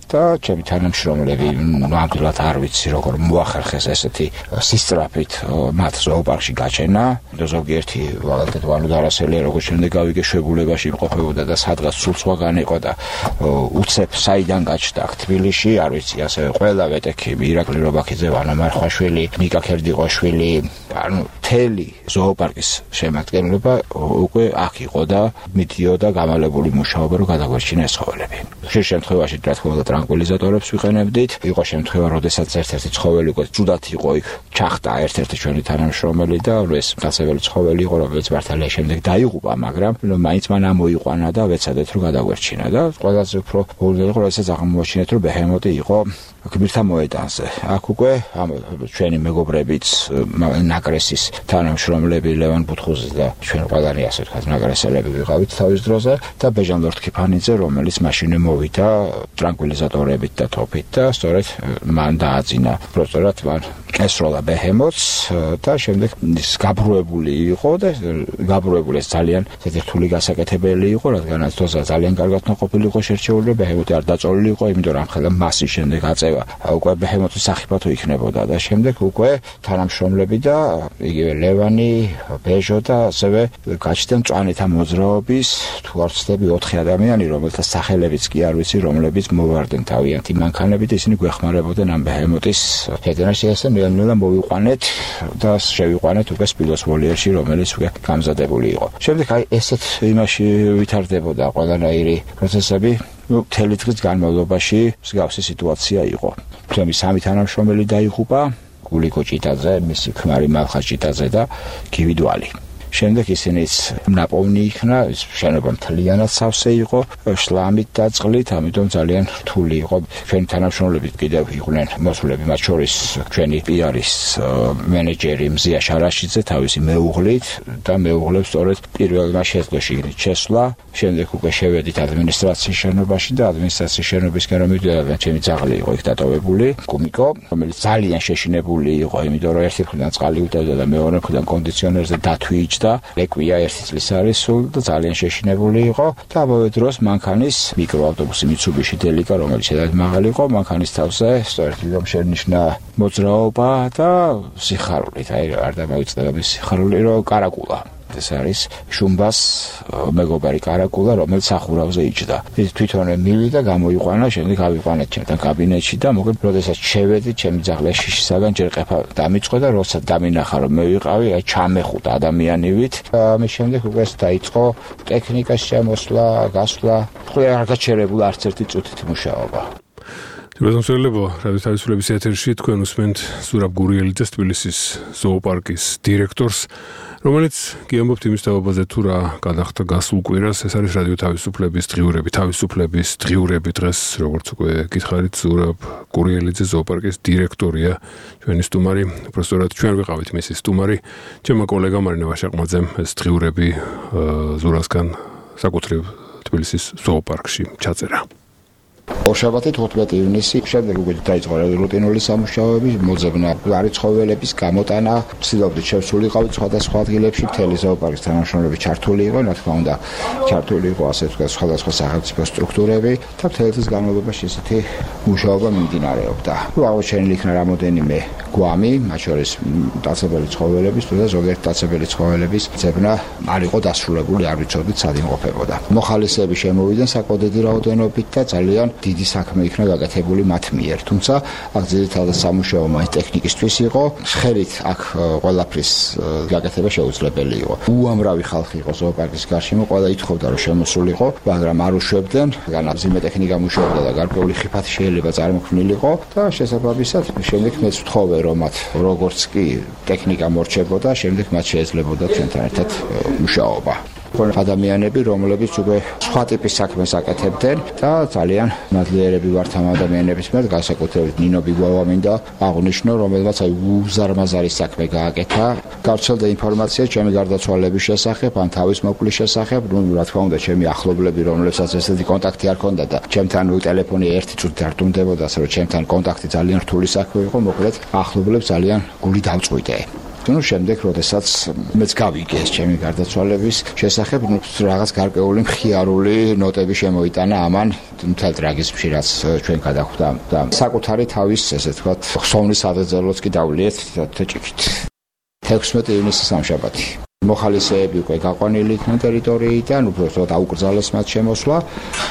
და ჩემი თანამშრომლები ნამდვილად არ ვიცი როგორ მოახერხეს ესეთი სისწრაფით მათ ზოოპარკში გაჩენა და ზოგიერთი ვალდედვანო დარასელია როგორც შემდეგ გავიგე შვებულებაში იმყოფებოდა და სადღაც სულ სხვაგან იყო და უცებ საიდან გაჩნდა თბილისში არ ვიცი ასევე ყველა ვეტექები ირაკლი რობაქიძე ვანო მარხვაშვილი ნიკა ქერდიყოშვილი ანუ თელი ზოოპარკის შემადგენლობა უკვე აქ იყო და მიდიოდა გამალებული მუშაობა რომ გადაგვერჩინა ეს ცხოველები ხშირ შემთხვევაში რა თქმა უნდა ტრანკვილიზატორებს ვიყენებდით. იყო შემთხვევა, როდესაც ერთ-ერთი ცხოველი იყო, ჯუდად იყო იქ, ჩახტა ერთ-ერთი ჩვენი თანამშრომელი და ეს დასაველი ცხოველი იყო, რომელიც მართალია შემდეგ დაიღუპა, მაგრამ მაინც მან ამოიყვანა და ვეცადეთ რომ გადაგვერჩინა და ყველაზე უფრო ბოლომდე იყო, როდესაც აღმოაჩინეთ, რომ ბეჰემოტი იყო გმირთა მოედანზე. აქ უკვე ჩვენი მეგობრებიც ნაკრესის თანამშრომლები ლევან ბუთხუზი და ჩვენ ყველანი ასე ვთქვათ ნაკრესელები ვიყავით თავის დროზე და ბეჟან ლორთქიფანიძე, რომელიც მაშინ მოვიდა ტრანკვილიზატორებით და თოფით და სწორედ მან დააძინა პროცედურად მან ესროლა ბეჰემოტს და შემდეგ ის გაბრუებული იყო და გაბრუებული ეს ძალიან რთული გასაკეთებელი იყო, რადგანაც თოცა ძალიან კარგად ნაყოფილი იყო შერჩეული, ბეჰემოტი არ დაწოლილი იყო, იმიტომ რომ ამხელა მასის შემდეგ აწევა უკვე ბეჰემოტის სახიფათო იქნებოდა და შემდეგ უკვე თანამშრომლები და იგივე ლევანი, ბეჟო და ასევე გაჩნდა მწვანეთა მოძრაობის თუ არ ვცდები ოთხი ადამიანი, რომელთა სახელებიც კი არ ვიცი, რომლებიც მოვარდნენ თავიანთი მანქანებით, ისინი გვეხმარებოდნენ ამ ბეჰემოტის ფედერაციასთან ნელ-ნელა მოვიყვანეთ და შევიყვანეთ უკვე სპილოს ვოლიერში, რომელიც უკვე გამზადებული იყო. შემდეგ აი ესეთ იმაში ვითარდებოდა ყველანაირი პროცესები. ნუ მთელი დღის განმავლობაში მსგავსი სიტუაცია იყო. ჩემი სამი თანამშრომელი დაიღუპა, გულიკო ჭიტაძე, მისი ქმარი მალხა ჭიტაძე და გივიდვალი. შემდეგ ისინიც ნაპოვნი იქნა, შენობა მთლიანად სავსე იყო, შლამით და წყლით, ამიტომ ძალიან რთული იყო. ჩვენი თანამშრომლები კიდევ იყვნენ მოსულები, მათ შორის ჩვენი პიარის მენეჯერი მზია შარაშიძე თავისი მეუღლით და მეუღლებს სწორედ პირველმა შეძლოში შესვლა. შემდეგ უკვე შევედით ადმინისტრაციის შენობაში და ადმინისტრაციის შენობისკენ რომ მივიდოდა, ჩემი ძაღლი იყო იქ დატოვებული, კუმიკო, რომელიც ძალიან შეშინებული იყო, იმიტომ რომ ერთი მხრიდან წყალი უტევდა და მეორე მხრიდან კონდიციონერზე დათვი და ლეკვია ერთი წლის არის სულ და ძალიან შეშინებული იყო და ამავე დროს მანქანის მიკროავტობუსი Mitsubishi Delica, რომელიც შედარებით მაღალი იყო, მანქანის თავზე სწორედ რომ შენიშნა მოძრაობა და სიხარულით, აი არ დამოიწდება მის სიხარული, რომ კარაკულა. ეს არის შუმბას მეგობარი კარაკულა, რომელიც სახურავზე იჯდა. ის თვითონვე მივიდა, გამოიყვანა, შემდეგ ავიყვანეთ ჩემთან კაბინეტში და მოკლედ, როდესაც შევედი, ჩემი ძაღლი შიშისაგან ჯერ ყეფა დამიწყო და როცა დამინახა, რომ მე ვიყავი, აი ჩამეხუტა ადამიანივით. ამის შემდეგ უკვე დაიწყო ტექნიკის შემოსვლა, გასვლა, ყველა არ გაჩერებულა არც ერთი წუთით მუშაობა. ბატონო, რადიო თავისუფლების ეთერში თქვენ უსმენთ ზურაბ გურიელიძეს, თბილისის ზოოპარკის დირექტორს, რომელიც გიამბობთ იმის თაობაზე თუ რა გადახდა გასულ კვირას. ეს არის რადიო თავისუფლების დღიურები, თავისუფლების დღიურები დღეს, როგორც უკვე გითხარით, ზურაბ გურიელიძე ზოოპარკის დირექტორია, ჩვენი სტუმარი. უბრალოდ ჩვენ ვიყავით მისი სტუმარი. ჩემო კოლეგა მარინა ვაშაყმაძემ ეს დღიურები ზურასგან საკუთრივ თბილისის ზოოპარკში ჩაწერა. ორშაბათი თოთხმეტი ივნისი შემდეგ უკვე დაიწყო რუტინული სამუშაოები, მოძებნა გვარი ცხოველების გამოტანა, ვცდილობდით შევსულიყავით სხვადასხვა ადგილებში, მთელი ზოოპარკის თანამშრომლები ჩართული იყო, რა თქმა უნდა, ჩართული იყო ასე ვთქვათ სხვადასხვა სახელმწიფო სტრუქტურები და მთელი წლის განმავლობაში ესეთი მუშაობა მიმდინარეობდა. აღმოჩენილი იქნა რამოდენიმე გვამი, მათ შორის მტაცებელი ცხოველების და ზოგიერთ მტაცებელი ცხოველების ძებნა არ იყო დასრულებული, არ ვიცოდით სად იმყოფებოდა. მოხალისეები შემოვიდნენ საკოდედი რაოდენობით და ძალიან დიდი საქმე იქნა გაკეთებული მათ მიერ. თუმცა აქ ძირითადად სამუშაო მაინც ტექნიკისთვის იყო, ხელით აქ ყველაფრის გაკეთება შეუძლებელი იყო. უამრავი ხალხი იყო ზოოპარკის გარშემო, ყველა ითხოვდა რომ შემოსულიყო, მაგრამ არ უშვებდნენ, განაც მძიმე ტექნიკა მუშაობდა და გარკვეული ხიფათი შეიძლება წარმოქმნილიყო და შესაბამისად შემდეგ მეც ვთხოვე რომ მათ როგორც კი ტექნიკა მორჩებოდა, შემდეგ მათ შეეძლებოდა ჩვენთან ერთად მუშაობა. ადამიანები, რომლებიც უკვე სხვა ტიპის საქმეს აკეთებდნენ და ძალიან მადლიერები ვართ ამ ადამიანების მიერ, განსაკუთრებით ნინო ბიგვავა მინდა აღვნიშნო, რომელმაც აი უზარმაზარი საქმე გააკეთა. გავრცელდა ინფორმაცია ჩემი გარდაცვალების შესახებ, ან თავის მოკვლის შესახებ, ну, რა თქმა უნდა, ჩემი ახლობლები, რომლებსაც ესეთი კონტაქტი არ ჰქონდა და ჩემთან ტელეფონი ერთი წუთი არ დუმდებოდა, ასე რომ ჩემთან კონტაქტი ძალიან რთული საქმე იყო, მოკლედ ახლობლებს ძალიან გული დავწყვიტე. ну შემდეგ როდესაც მეც გავიგე ეს ჩემი გარდაცვალების შესახებ, ну რაღაც გარკვეული მხიარული ნოტები შემოიტანა ამან მთელ ტრაგიზმში, რაც ჩვენ გადახვდა და საკუთარი თავის, ესე ვთქვათ, ხსოვნის ადერძელოც კი დავლიეთ თეჭიქით. თექვსმეტი ივნისი სამშაბათი. მოხალისეები უკვე გაყვანილი იქნენ ტერიტორიიდან, უბრალოდ აუკრძალეს მათ შემოსვლა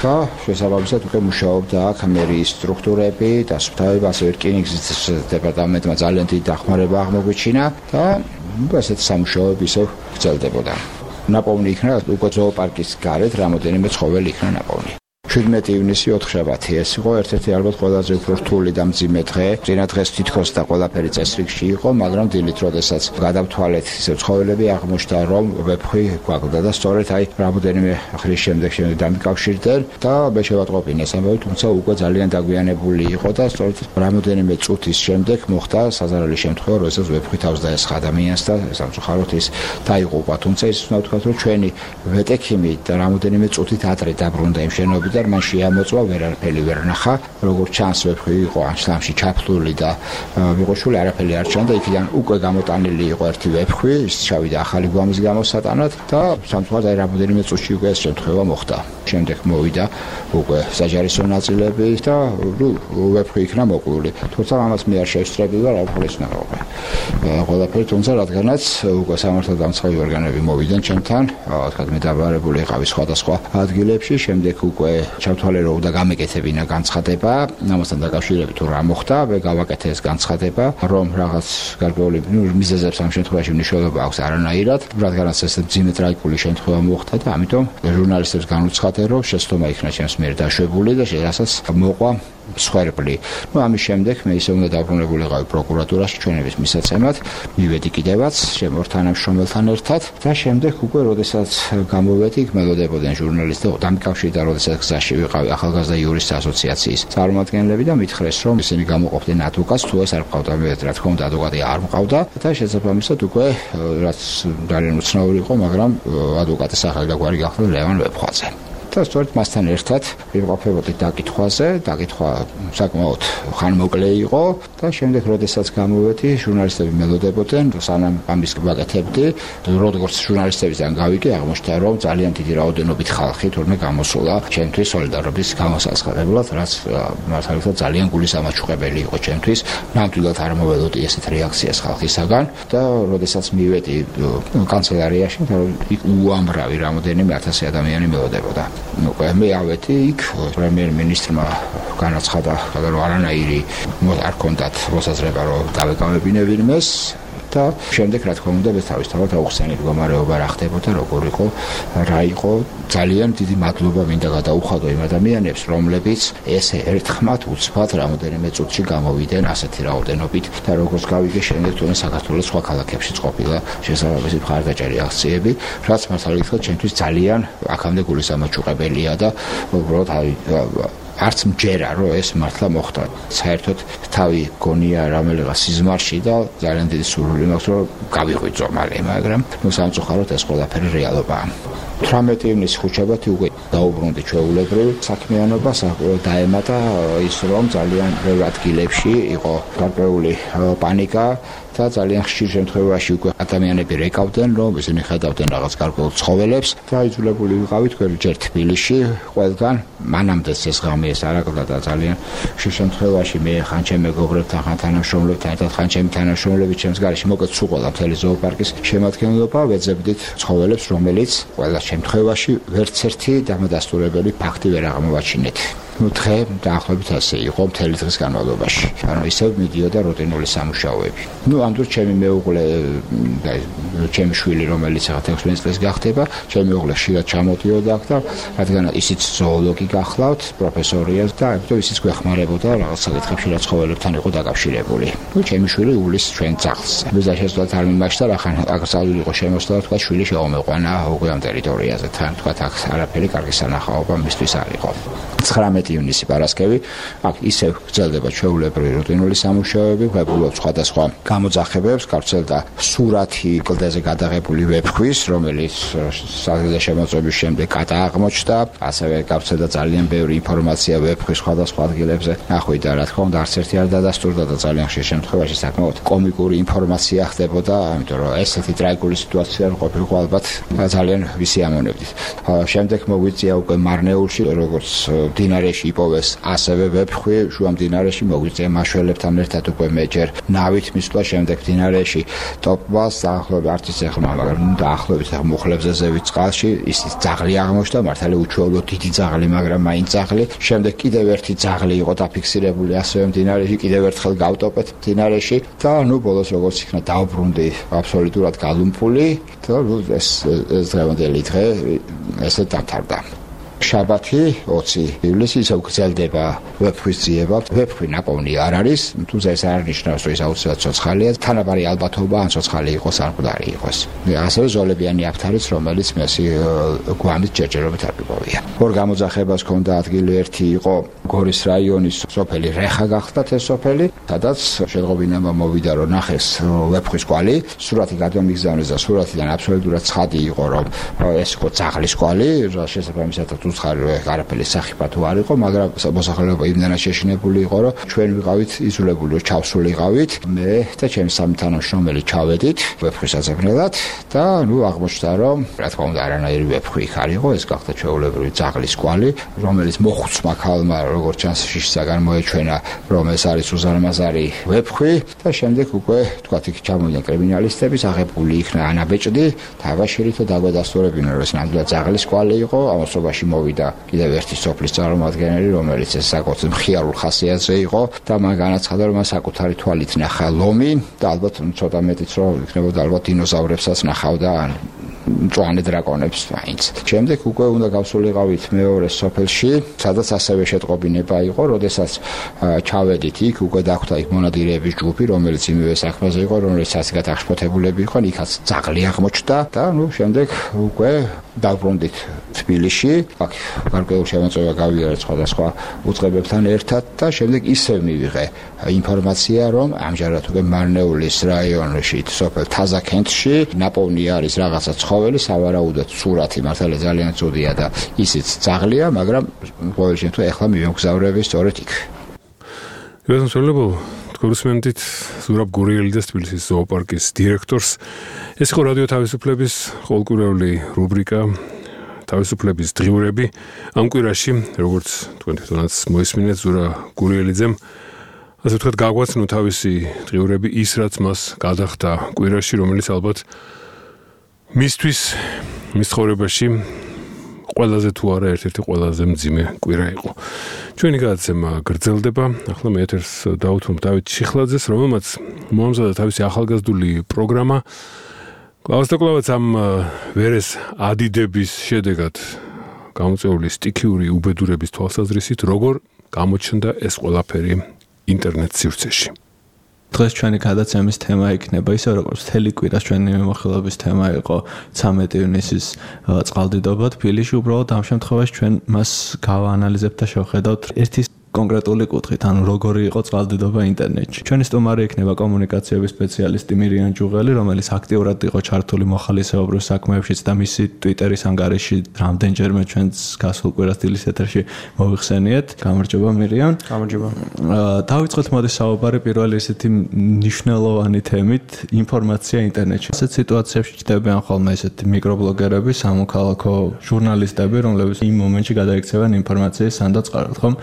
და შესაბამისად უკვე მუშაობდა აქ მერიის სტრუქტურები და სუფთავები, ასევე რკინიგზის დეპარტამენტმა ძალიან დიდი დახმარება აღმოგვიჩინა და ესეთი სამუშაოები ისევ გრძელდებოდა. ნაპოვნი იქნა უკვე ზოოპარკის გარეთ რამოდენიმე ცხოველი იქნა ნაპოვნი. შვიდმეტი ივნისი ოთხშაბათი ეს იყო ერთ-ერთი ალბათ ყველაზე უფრო რთული და მძიმე დღე. წინა დღეს თითქოს და ყველაფერი წესრიგში იყო, მაგრამ დილით როდესაც გადავთვალეთ ისე ცხოველები აღმოჩნდა, რომ ვეფხვი გვაკლდა და სწორედ აი რამოდენიმე ხრის შემდეგ შემდეგ დამიკავშირდნენ და მე შევატყობინე ეს ამბავი, თუმცა უკვე ძალიან დაგვიანებული იყო და სწორედ რამოდენიმე წუთის შემდეგ მოხდა საზარელი შემთხვევა, როდესაც ვეფხვი თავს დაესხა ადამიანს და სამწუხაროდ ის დაიღუპა. თუმცა ის უნდა ვთქვათ, რომ ჩვენი ვეტექიმი და რამოდენიმე წუთით ადრე დაბრუნდა იმ შენობიდან, მან შეამოწვა, ვერაფერი ვერ ნახა, როგორც ჩანს ვეფხვი იყო ამ შლამში ჩაფლული და ვიყოშული არაფერი არ ჩანდა, იქიდან უკვე გამოტანილი იყო ერთი ვეფხვი, ის ჩავიდა ახალი გვამის გამოსატანად და სამწუხაროდ აი რამოდენიმე წუთში უკვე ეს შემთხვევა მოხდა. შემდეგ მოვიდა უკვე საჯარისო ნაწილები და ვეფხვი იქნა მოკლული. თუმცა ამას მე არ შევსწრები ვარ, არ ხოლეს ნაყოფე. ყველაფერი, თუმცა რადგანაც უკვე სამართალდამცავი ორგანოები მოვიდნენ ჩემთან, თქვათ მე დაბარებული იყავი სხვადასხვა ადგილებში, შემდეგ უკვე ჩავთვალე რომ უნდა გამეკეთებინა განცხადება, ამასთან დაკავშირებით თუ რა მოხდა, მე გავაკეთე ეს განცხადება, რომ რაღაც გარკვეული მიზეზებს ამ შემთხვევაში მნიშვნელობა აქვს არანაირად, რადგანაც ეს მძიმე ტრაგიკული შემთხვევა მოხდა და ამიტომ ჟურნალისტებს განუცხადე, რომ შეცდომა იქნა ჩემს მიერ დაშვებული და შესაძაც მოყვა მსხვერპლი. ну ამის შემდეგ მე ისე უნდა დაბრუნებულიყავი პროკურატურაში ჩვენების მისაცემად, მივედი კიდევაც შემორ თანამშრომელთან ერთად და შემდეგ უკვე როდესაც გამოვედი, მელოდებოდნენ ჟურნალისტები, დამიკავშირდა, როდესაც გზაში ვიყავი ახალგაზრდა იურისტთა ასოციაციის წარმომადგენლები და მითხრეს, რომ ისინი გამოყოფდნენ ადვოკატს, თუ ეს არ მყავდა, მე რა თქმა უნდა ადვოკატი არ მყავდა და შესაბამისად უკვე რაც ძალიან უცნაური იყო, მაგრამ ადვოკატის სახელი და გვარი გახდა ლევან ვეფხვაძე. და სწორედ მასთან ერთად ვიმყოფებოდი დაკითხვაზე, დაკითხვა საკმაოდ ხანმოკლე იყო და შემდეგ როდესაც გამოვედი, ჟურნალისტები მელოდებოდნენ, სანამ ამის გაკეთებდი, როგორც ჟურნალისტებიდან გავიგე, აღმოჩნდა, რომ ძალიან დიდი რაოდენობით ხალხი თურმე გამოსულა ჩემთვის სოლიდარობის გამოსაცხადებლად, რაც მართალია ძალიან გულისამაჩუყებელი იყო ჩემთვის. ნამდვილად არ მოველოდი ესეთ რეაქციას ხალხისაგან და როდესაც მივედი კანცელარიაში, უამრავი რამოდენიმე ათასი ადამიანი მელოდებოდა. უკვე მე ავედი იქ, პრემიერ-მინისტრმა განაცხადა, რომ არანაირი არ ქონდათ მოსაზრება, რომ დავეკავებინებინ მეს და შემდეგ რა თქმა უნდა თავისთავად აუხსენი მდგომარეობა რა ხდებოდა, როგორ იყო, რა იყო. ძალიან დიდი მადლობა მინდა გადაუხადო იმ ადამიანებს, რომლებიც ესე ერთხმად უცბად რამოდენიმე წუთში გამოვიდნენ ასეთი რაოდენობით და როგორც გავიგე, შემდეგ თუნდაც საქართველოს სხვა ქალაქებშიც ყოფილა შესაბამისი მხარდაჭერი აქციები, რაც მართალია ჩემთვის ძალიან აქამდე გულისამაჩუყებელია და უბრალოდ არც მჯერა, რომ ეს მართლა მოხდა. საერთოდ თავი გონია რომელიღა სიზმარში და ძალიან დიდი სურვილი მაქვს, რომ გავიღვიძო მალე, მაგრამ ნუ სამწუხაროდ ეს ყველაფერი რეალობაა. თვრამეტი ივნისის ხუთშაბათი უკვე დაუბრუნდი ჩვეულებრივ საქმიანობას, დაემატა ის, რომ ძალიან ბევრ ადგილებში იყო გარკვეული პანიკა და ძალიან ხშირ შემთხვევაში უკვე ადამიანები რეკავდნენ, რომ ისინი ხედავდნენ რაღაც გარკვეულ ცხოველებს და იძულებული ვიყავით ჯერ თბილისში ყველგან, მანამდეც ეს ღამე ეს არაკდა და ძალიან ხშირ შემთხვევაში მე ხან ჩემ მეგობრებთან, ხან თანამშრომლებთან ერთად, ხან ჩემი თანამშრომლები ჩემს გარეშე მოკეთ სულ ყველა მთელი ზოოპარკის შემადგენლობა ვეძებდით ცხოველებს, რომელიც ყველა შემთხვევაში ვერც ერთი დამადასტურებელი ფაქტი ვერ აღმოვაჩინეთ. ნუ დღე დაახლოებით ასე იყო მთელი დღის განმავლობაში. ანუ ისევ მიდიოდა რუტინული სამუშაოები. ნუ ამ დროს ჩემი მეუღლე და ჩემი შვილი, რომელიც ახლა ექვსმეტ წელს გახდება, ჩემი მეუღლე ხშირად ჩამოდიოდა აქ და რადგან ისიც ზოოლოგი გახლავთ, პროფესორია და ამიტომ ისიც გვეხმარებოდა რაღაც საკითხებში, რაც ცხოველებთან იყო დაკავშირებული. ნუ ჩემი შვილი უვლის ჩვენ ძაღლს. ვიზა შესვლად არ მიმაშთა, რახან აქ წავილი იყო შემოსვლა, თქვა შვილი შეომეყვანა უკვე ამ ტერიტორიაზე. თან თქვა აქ არაფერი კარგი სანახაობა მისთვის არ იყო. ცხრამეტი ივნისი პარასკევი, აქ ისევ გრძელდება ჩვეულებრივი რუტინული სამუშაოები, ვებულობ სხვადასხვა გამოძახებებს, გავრცელდა სურათი კლდეზე გადაღებული ვეფხვის, რომელიც საგრძე შემოწმების შემდეგ გადააღმოჩნდა, ასევე გავრცელდა ძალიან ბევრი ინფორმაცია ვეფხვის სხვადასხვა ადგილებზე. ნახვიდა, რა თქმა უნდა, არც ერთი არ დადასტურდა და ძალიან ხშირ შემთხვევაში საკმაოდ კომიკური ინფორმაცია ხდებოდა, ამიტომ რომ ესეთი ტრაგიკული სიტუაცია არ ყოფილიყო ალბათ ძალიან ვისიამოვნებდით. შემდეგ მოგვიწია უკვე მარნეულში, როგორც მდინარეში იპოვეს ასევე ვეფხვი, შუა მდინარეში მოგვიწია მაშველებთან ერთად უკვე მე ჯერ ნავით მისვლა, შემდეგ მდინარეში ტოპვას, დაახლოებით არც ის ეხლა, მაგრამ დაახლოებით მუხლებზე ზევით წყალში, ისიც ძაღლი აღმოჩნდა, მართალია უჩვეულო დიდი ძაღლი, მაგრამ მაინც ძაღლი. შემდეგ კიდევ ერთი ძაღლი იყო დაფიქსირებული ასევე მდინარეში, კიდევ ერთხელ გავტოპეთ მდინარეში და ნუ ბოლოს როგორც იქნა დავბრუნდი აბსოლუტურად გალუმპული და ეს ეს დღევანდელი დღე ესე დამთავრდა. შაბათი ოცი ივლისი ისევ გრძელდება ვეფხვის ძიება. ვეფხვი ნაპოვნი არ არის, თუმცა ეს არ ნიშნავს, რომ ის აუცილებლად ცოცხალია. თანაბარი ალბათობა ან ცოცხალი იყოს, ან მკვდარი იყოს. ასევე ზოლებიანი აფთარიც, რომელიც მესი გვამით ჯერჯერობით არ გიპოვია. ორ გამოძახებას ჰქონდა ადგილი, ერთი იყო გორის რაიონის სოფელი რეხა გახდათ ეს სოფელი, სადაც შეღობინებმა მოვიდა, რომ ნახეს ვეფხვის კვალი, სურათი გადამიგზავნეს და სურათიდან აბსოლუტურად ცხადი იყო, რომ ეს იყო ძაღლის კვალი, შესაბამისად უცხარი არაფერი სახიფათო არ იყო, მაგრამ მოსახლეობა იმდანაც შეშინებული იყო, რომ ჩვენ ვიყავით იძულებული, რომ ჩავსულიყავით. მე და ჩემი სამი თანამშრომელი ჩავედით ვეფხვის აზევნელად და ნუ აღმოჩნდა, რომ რა თქმა უნდა არანაირი ვეფხვი იქ არ იყო, ეს გახდა ჩვეულებრივი ძაღლის კვალი, რომელიც მოხუცმა ქალმა როგორც ჩანს შიშისაგან მოეჩვენა, რომ ეს არის უზარმაზარი ვეფხვი და შემდეგ უკვე თქვათ იქ ჩამოვიდნენ კრიმინალისტები, აღებული იქნა ანაბეჭდი, თავაშირით დაგვედასტურებინა, რომ ეს ნამდვილად ძაღლის კვალი იყო, ამასობაში მოვიდა კიდევ ერთი სოფლის წარმომადგენელი, რომელიც ეს საკუთარ მხიარულ ხასიათზე იყო და მან განაცხადა, რომ მას საკუთარი თვალით ნახა ლომი და ალბათ ცოტა მეტიც რომ იქნებოდა ალბათ დინოზავრებსაც ნახავდა ან მწვანე დრაკონებს მაინც. შემდეგ უკვე უნდა გავსულიყავით მეორე სოფელში, სადაც ასევე შეტყობინება იყო, როდესაც ჩავედით იქ, უკვე დახვდა იქ მონადირეების ჯგუფი, რომელიც იმივე საქმეზე იყო, რომელიც ასიგად აღშფოთებულები იყვნენ, იქაც ძაღლი აღმოჩნდა და ნუ შემდეგ უკვე დაბრუნდით თბილისში, აქ გარკვეულ შემოწმება გავიარეთ სხვადასხვა უწყებებთან ერთად და შემდეგ ისევ მივიღე ინფორმაცია, რომ ამჟამად უკვე მარნეულის რაიონში, სოფელ თაზაკენტში ნაპოვნი არის რაღაცა ცხოველი, სავარაუდოდ სურათი მართალია ძალიან ცუდია და ისიც ძაღლია, მაგრამ ყოველ შემთხვევაში ახლა მივემგზავრები სწორედ იქ. გასამშველებო კორესპონდენტით ზურაბ გურიელი და თბილისის ზოოპარკის დირექტორს. ეს იყო რადიო თავისუფლების ყოველკვირეული რუბრიკა თავისუფლების დღიურები. ამ კვირაში, როგორც თქვენ თვითონაც მოისმინეთ, ზურა გურიელიძემ ასე ვთქვათ, გაგვაცნო თავისი დღიურები ის, რაც მას გადახდა კვირაში, რომელიც ალბათ მისთვის მის ცხოვრებაში ყველაზე თუ არა ერთ-ერთი ყველაზე მძიმე კვირა იყო. ჩვენი გადაცემა გრძელდება. ახლა მე ეთერს დავუთმობ დავით ჩიხლაძეს, რომელმაც მოამზადა თავისი ახალგაზრდული პროგრამა. კლავას და კლავაც ამ ვერეს ადიდების შედეგად გამოწვეული სტიქიური უბედურების თვალსაზრისით, როგორ გამოჩნდა ეს ყველაფერი ინტერნეტ სივრცეში. დღეს ჩვენი გადაცემის თემა იქნება ისე როგორც მთელი კვირას ჩვენი მიმოხილვების თემა იყო ცამეტი ივნისის წყალდიდობა თბილისში. უბრალოდ ამ შემთხვევაში ჩვენ მას გავაანალიზებთ და შევხედავთ ერთი კონკრეტული კუთხით, ანუ როგორი იყო წყალდიდობა ინტერნეტში. ჩვენი სტუმარი იქნება კომუნიკაციების სპეციალისტი მირიან ჯუღელი, რომელიც აქტიურად იყო ჩართული მოხალისეობრივ საქმეებშიც და მისი ტვიტერის ანგარიში რამდენჯერმე ჩვენს გასულ კვირას დილის ეთერში მოიხსენიეთ. გამარჯობა მირიან. გამარჯობა. დავიწყოთ მოდი საუბარი პირველი ესეთი მნიშვნელოვანი თემით, ინფორმაცია ინტერნეტში. ასეთ სიტუაციებში ჩნდებიან ხოლმე ესეთი მიკრობლოგერები, სამოქალაქო ჟურნალისტები, რომლებიც იმ მომენტში გადაიქცევენ ინფორმაციის სანდოწყაროდ, ხომ?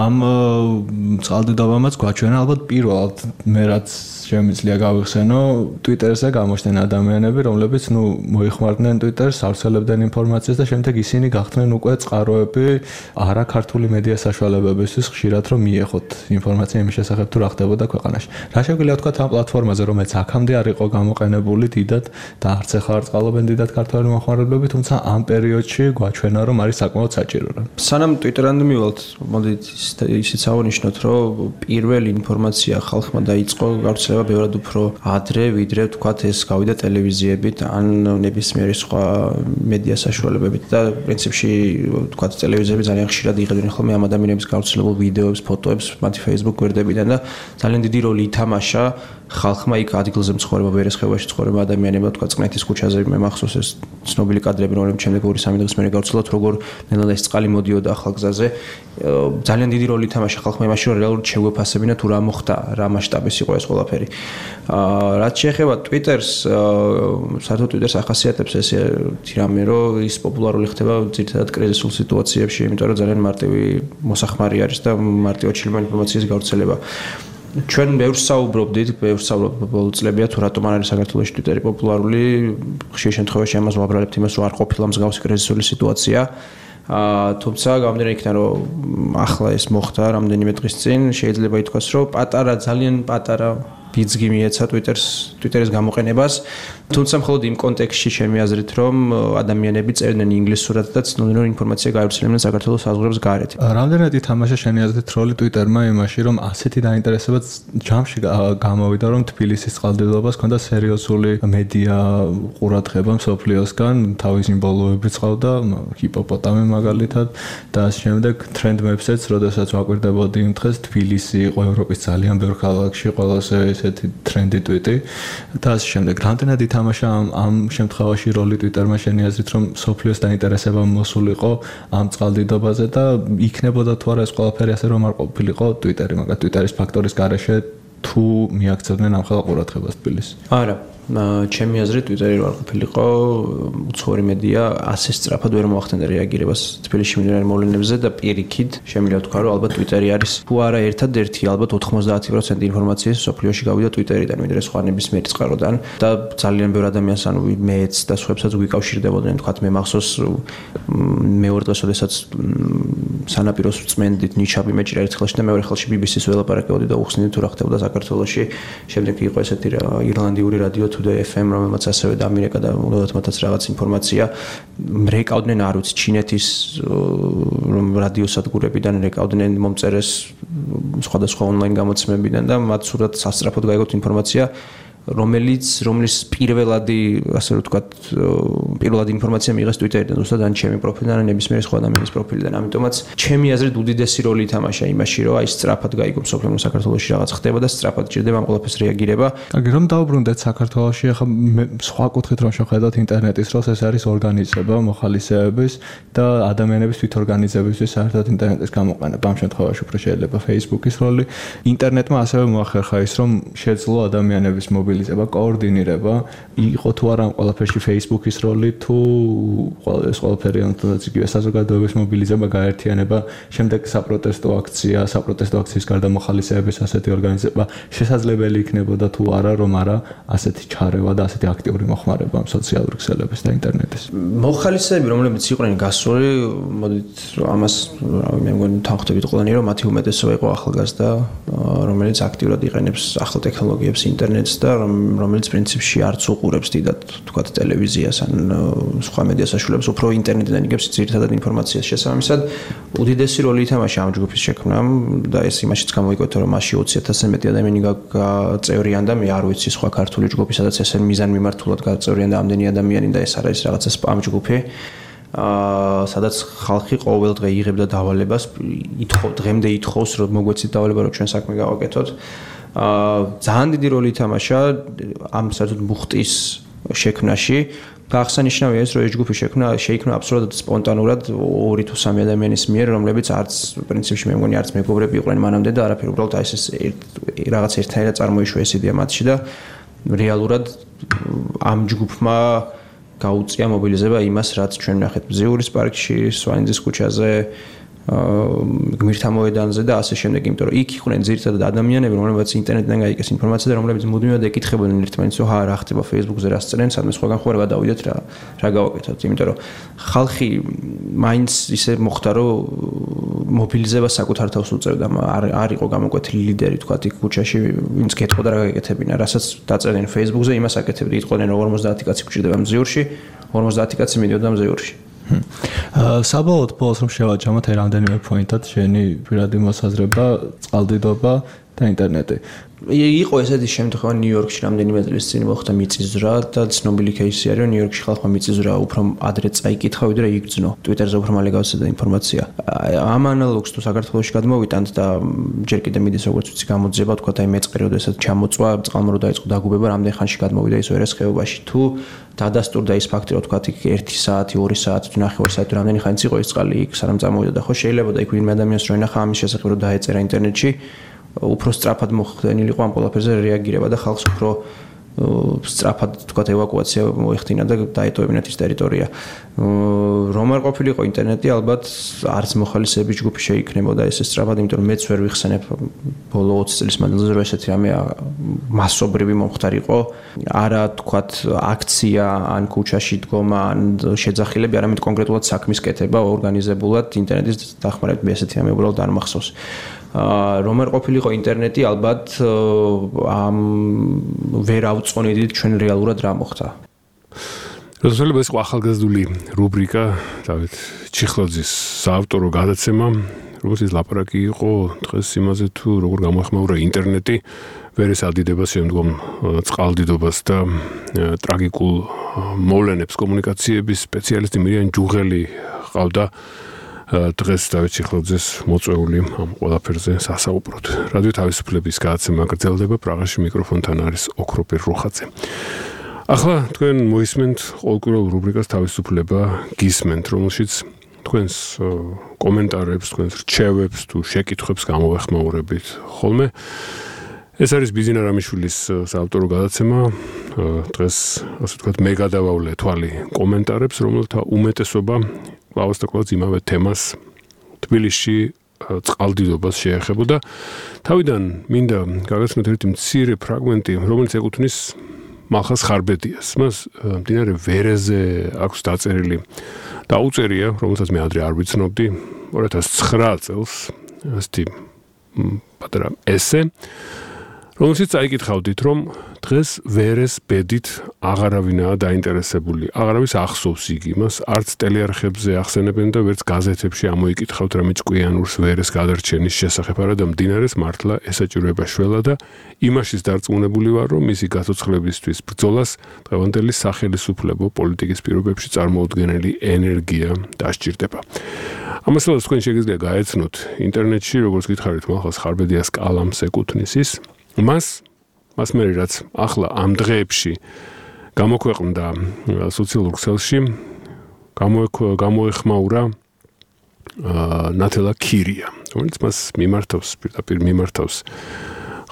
ამ წყალდიდობამაც გვაჩვენა ალბათ პირველად მე რაც შემიძლია გავიხსენო ტვიტერზე გამოჩნდნენ ადამიანები, რომლებიც ნუ მოიხმარდნენ ტვიტერს, ავრცელებდნენ ინფორმაციას და შემდეგ ისინი გახდნენ უკვე წყაროები არა ქართული მედია საშუალებებისთვის ხშირად რომ მიეხოთ ინფორმაცია იმის შესახებ თუ რა ხდებოდა ქვეყანაში. რა შეგვიძლია ვთქვათ ამ პლატფორმაზე, რომელიც აქამდე არ იყო გამოყენებული დიდად და არც ახლა არ წყალობენ დიდად ქართველი მოხმარებლები, თუმცა ამ პერიოდში გვაჩვენა რომ არის საკმაოდ საჭირო. სანამ ტვიტერამდე მივალთ, მოდით ისიც ავნიშნოთ, რომ პირველი ინფორმაცია ხალხმა დაიწყო გავრცელება ბევრად უფრო ადრე, ვიდრე თქვათ ეს გავიდა ტელევიზიებით ან ნებისმიერი სხვა მედია საშუალებებით და პრინციპში თქვათ ტელევიზიები ძალიან ხშირად იღებდნენ ხოლმე ამ ადამიანების გავრცელებულ ვიდეოებს, ფოტოებს მათი Facebook გვერდებიდან და ძალიან დიდი როლი ითამაშა ხალხმა იქ ადგილზე მცხოვრება ვერესხევაში მცხოვრება ადამიანებმა თქვა წყნეთის ქუჩაზე მე მახსოვს ეს ცნობილი კადრები რომლებიც შემდეგ ორი სამი დღის მერე გავცელოთ როგორ ნელა ეს წყალი მოდიოდა ახალგზაზე ძალიან დიდი როლი ითამაშა ხალხმა იმაში რომ რეალურად შეგვეფასებინა თუ რა მოხდა რა მასშტაბის იყო ეს ყველაფერი რაც შეეხება Twitter-ს საერთოდ Twitter-ს ახასიათებს ეს რამე რომ ის პოპულარული ხდება ძირითადად კრიზისულ სიტუაციებში იმიტომ რომ ძალიან მარტივი მოსახმარი არის და მარტივად შეიძლება ინფორმაციის გავრცელება ჩვენ ბევრს საუბრობდით, ბევრს საუბრობ ბოლო წლებია თუ რატომ არ არის საქართველოში Twitter-ი პოპულარული, ხშირ შემთხვევაში ამას ვაბრალებთ იმას, რომ არ ყოფილა მსგავსი კრიზისული სიტუაცია. აა თუმცა გამომდინარე იქიდან რომ ახლა ეს მოხდა რამდენიმე დღის წინ, შეიძლება ითქვას, რომ პატარა ძალიან პატარა ბიძგი მიეცა Twitter-ს, Twitter-ის გამოყენებას. თუმცა მხოლოდ იმ კონტექსტში ჩემი აზრით, რომ ადამიანები წერდნენ ინგლისურად და ცნობდნენ რომ ინფორმაცია გაივრცელებდნენ საქართველოს საზღვრებს გარეთ. რამდენად ითამაშა შენი აზრით როლი Twitter-მა იმაში, რომ ასეთი დაინტერესება ჯამში გამოვიდა, რომ თბილისის წყალდიდობას ჰქონდა სერიოზული მედია ყურადღება მსოფლიოსგან, თავის სიმბოლოები წყავდა, ჰიპოპოტამი მაგალითად და ამ შემდეგ ტრენდ მეფსეც, როდესაც ვაკვირდებოდი იმ დღეს თბილისი იყო ევროპის ძალიან ბევრ ქალაქში ყველაზე ესეთი ტრენდი ტვიტი და ამ შემდეგ რამდენად ითამაშა ამ ამ შემთხვევაში როლი Twitter-მა შენი აზრით რომ სოფლიოს დაინტერესება მოსულიყო ამ წყალდიდობაზე და იქნებოდა თუ არა ეს ყველაფერი ასე რომ არ ყოფილიყო Twitter-ი, მაგრამ Twitter-ის ფაქტორის გარეშე თუ მიაქცევდნენ ამ ხალხ ყურადღებას თბილისს. არა ჩემი აზრით Twitter-ი რო არ ყოფილიყო უცხოური მედია ასე სწრაფად ვერ მოახდენდა რეაგირებას თბილისში მიმდინარე მოვლენებზე და პირიქით შემიძლია ვთქვა რომ ალბათ Twitter-ი არის თუ არა ერთადერთი ალბათ ოთხმოცდაათი პროცენტი ინფორმაციის სოფლიოში გავიდა Twitter-იდან ვიდრე სხვა ნებისმიერი წყაროდან და ძალიან ბევრ ადამიანს ანუ მეც და სხვაებსაც ვიკავშირდებოდნენ თქვა მე მახსოვს მეორე დღეს როდესაც სანაპიროს წმენდით ნიჩაბი მეჭირა ერთ ხელში და მეორე ხელში ბი ბი სის ველაპარაკებოდი და უხსნიდი თუ რა ხდებოდა საქართველოში შემდეგ იყო ესეთი ირლანდიური რადიო Today ეფ ემ რომელმაც ასევე დამირეკა და უნდათ მათაც რაღაც ინფორმაცია რეკავდნენ არ ვიცი ჩინეთის რადიოსადგურებიდან რეკავდნენ მომწერეს სხვადასხვა ონლაინ გამოცემებიდან და მათ სურათ სასწრაფოდ გაიგოთ ინფორმაცია რომელიც რომლის პირველადი ასე რომ ვთქვათ პირველადი ინფორმაცია მიიღეს Twitter-დან, უბრალოდ ან ჩემი პროფილიდან, ან ნებისმიერი სხვა ადამიანის პროფილიდან. ამიტომაც ჩემი აზრით უდიდესი როლი ითამაშა იმაში, რომ აი სწრაფად გაიგო მსოფლიო საქართველოში რაღაც ხდება და სწრაფად ჭირდება ამ ყველაფერს რეაგირება. კარგი, რომ დავბრუნდეთ საქართველოში, ახლა სხვა კუთხით რომ შევხედოთ ინტერნეტის როლს, ეს არის ორგანიზება, მოხალისეების და ადამიანების თვითორგანიზებისთვის საერთოდ ინტერნეტის გამოყენება. ამ შემთხვევაში უფრო შეიძლება Facebook-ის როლი. ინტერნეტმა ასევე მოახერხა ის, რომ შეძლო ადამიანების მობილიზება, კოორდინირება, იყო თუ არა ამ ყველაფერში Facebook-ის როლი, თუ ეს ყველაფერი თუნდაც იგივე საზოგადოების მობილიზება, გაერთიანება, შემდეგ საპროტესტო აქცია, საპროტესტო აქციის გარდა მოხალისეების ასეთი ორგანიზება შესაძლებელი იქნებოდა თუ არა, რომ არა ასეთი ჩარევა და ასეთი აქტიური მოხმარება ამ სოციალურ ქსელების და ინტერნეტის. მოხალისეები, რომლებიც იყვნენ გასული, მოდით ამას მე მგონი თანხმდებით ყველანი, რომ მათი უმეტესობა იყო ახალგაზრდა, რომელიც აქტიურად იყენებს ახალ ტექნოლოგიებს, ინტერნეტს და რომელიც პრინციპში არც უყურებს დიდად, თქვათ, ტელევიზიას ან სხვა მედია საშუალებებს, უფრო ინტერნეტიდან იგებს ძირითადად ინფორმაციას. შესაბამისად, უდიდესი როლი ითამაშა ამ ჯგუფის შექმნამ და ეს იმაშიც გამოიკვეთა, რომ მასში ოცი ათასზე მეტი ადამიანი გაწევრიან და მე არ ვიცი სხვა ქართული ჯგუფი, სადაც ესე მიზანმიმართულად გაწევრიან და ამდენი ადამიანი და ეს არის რაღაცა სპამ ჯგუფი. აა სადაც ხალხი ყოველ დღე იღებდა დავალებას, ითხოვ დღემდე ითხოვს, რომ მოგვეცით დავალება, რომ ჩვენ საქმე გავაკეთოთ. აა ძალიან დიდი როლი ითამაშა ამ საერთოდ მუხტის შექმნაში. გახსანიშნავია ეს, რომ ეს ჯგუფი შექმნა შეიქმნა აბსოლუტურად სპონტანურად ორი თუ სამი ადამიანის მიერ, რომლებიც არც პრინციპში მე მგონი არც მეგობრები იყვნენ მანამდე და არაფერი, უბრალოდ აი ეს რაღაც ერთნაირად წარმოიშვა ეს იდეა მათში და რეალურად ამ ჯგუფმა გაუწია მობილიზება იმას, რაც ჩვენ ვნახეთ ბზიურის პარკში, სვანიძის ქუჩაზე, გმირთა მოედანზე და ასე შემდეგ, იმიტომ რომ იქ იყვნენ ძირითადად ადამიანები, რომლებიც ინტერნეტიდან გაიგეს ინფორმაცია და რომლებიც მუდმივად ეკითხებოდნენ ერთმანეთს, რომ ჰა რა ხდება Facebook-ზე, რა სწრენ, სადმე სხვაგან ხო რა გადავიდეთ რა რა გავაკეთოთ, იმიტომ რომ ხალხი მაინც ისე მოხდა, რომ მობილიზება საკუთარ თავს უწევდა, არ არ იყო გამოკვეთილი ლიდერი, თქვა იქ ქუჩაში, ვინც გეტყოდა რა გაკეთებინა, რასაც დაწერდნენ Facebook-ზე, იმას აკეთებდნენ, იტყოდნენ რომ ორმოცდაათი კაცი გვჭირდება მზიურში, ორმოცდაათი კაცი მიდიოდა მზიურში. საბოლოოდ ბოლოს რომ შევაჯამოთ აი რამდენიმე პოინტად შენი პირადი მოსაზრება, წყალდიდობა და ინტერნეტი. იყო ესეთი შემთხვევა ნიუ-იორკში რამდენიმე წლის წინ მოხდა მიწისძვრა და ცნობილი кейსი არის, რომ ნიუ-იორკში ხალხმა მიწისძვრა უფრო ადრე წაიკითხა, ვიდრე იგრძნო. Twitter-ზე უფრო მალე გავცედა ინფორმაცია. ამ ანალოგს თუ საქართველოში გადმოვიტანთ და ჯერ კიდე მიდის როგორც ვიცი გამოძიება, თქვა აი მეწყერი, როდესაც ჩამოწვა, წყალმორო დაიწყო დაგუბება, რამდენ ხანში გადმოვიდა ის ვერას ხეობაში. თუ დადასტურდა ის ფაქტი, რომ თქვა იქ ერთი საათი, ორი საათი, თუ ნახევარი საათი, რამდენი ხანიც იყო ის წყალი იქ, სანამ წამოვიდა და ხო შეიძლება და იქ ვინმე ადამიანს რო ენახა ამის შესახებ რომ დაეწერა ინტერნეტში, უფრო სწრაფად მოხდენილიყო ამ ყველაფერზე რეაგირება და ხალხს უფრო სწრაფად თქვა ევაკუაცია მოეხდინა და დაეტოვებინათ ის ტერიტორია. რომ არ ყოფილიყო ინტერნეტი, ალბათ არც მოხალისეების ჯგუფი შეიქნებოდა ესე სწრაფად, იმიტომ რომ მეც ვერ ვიხსენებ ბოლო ოცი წლის მანძილზე რომ ესეთი რამე მასობრივი მომხდარიყო. არა თქვათ აქცია ან ქუჩაში დგომა ან შეძახილები, არამედ კონკრეტულად საქმის კეთება ორგანიზებულად ინტერნეტის დახმარებით, მე ესეთი რამე უბრალოდ არ მახსოვს. რომ არ ყოფილიყო ინტერნეტი, ალბათ ამ ვერ ავწონიდით ჩვენ რეალურად რა მოხდა. როდესაც ეს ახალგაზრდული რუბრიკა დავით ჩიხლოძის საავტორო გადაცემა, როგორც ლაპარაკი იყო დღეს იმაზე თუ როგორ გამოეხმაურა ინტერნეტი ვერეს ადიდებას შემდგომ წყალდიდობას და ტრაგიკულ მოვლენებს კომუნიკაციების სპეციალისტი მირიან ჯუღელი ყავდა დღეს დავით ჩიხლოძეს მოწვეული ამ ყველაფერზე სასაუბროთ. რადიო თავისუფლების გადაცემა გრძელდება, პრაღაში მიკროფონთან არის ოქროპირ რუხაძე. ახლა თქვენ მოისმენთ ყოველკვირეულ რუბრიკას თავისუფლება გისმენთ, რომელშიც თქვენს კომენტარებს, თქვენს რჩევებს თუ შეკითხვებს გამოვეხმაურებით ხოლმე. ეს არის ბიზინა რამიშვილის საავტორო გადაცემა. დღეს ასე ვთქვათ, მე გადავავლე თვალი კომენტარებს, რომელთა უმეტესობა კლავას და კლავას იმავე თემას თბილისში წყალდიდობას შეეხებოდა. თავიდან მინდა გაგაცნოთ ერთი მცირე ფრაგმენტი, რომელიც ეკუთვნის მალხას ხარბედიას. მას მდინარე ვერეზე აქვს დაწერილი დაუწერია, რომელსაც მე ადრე არ ვიცნობდი, ორი ათას ცხრა წელს, ასეთი პატარა ესე. რომელშიც წაიკითხავდით, რომ დღეს ვერეს ბედით აღარავინაა დაინტერესებული. აღარავის ახსოვს იგი მას, არც ტელეარხებზე ახსენებენ და ვერც გაზეთებში ამოიკითხავთ რამე ჭკვიანურს ვერეს გადარჩენის შესახებ, არადა მდინარეს მართლა ესაჭიროება შველა და იმაშიც დარწმუნებული ვარ, რომ მისი გაცოცხლებისთვის ბრძოლას დღევანდელი სახელისუფლებო პოლიტიკის პირობებში წარმოუდგენელი ენერგია დასჭირდება. ამასაც თქვენ შეგიძლია გაეცნოთ ინტერნეტში, როგორც გითხარით, მახას ხარბედიას კალამს ეკუთვნის ის. მას მას მე რაც ახლა ამ დღეებში გამოქვეყნდა სოციალურ ქსელში გამოეხმაურა ნათელა ქირია, რომელიც მას მიმართავს, პირდაპირ მიმართავს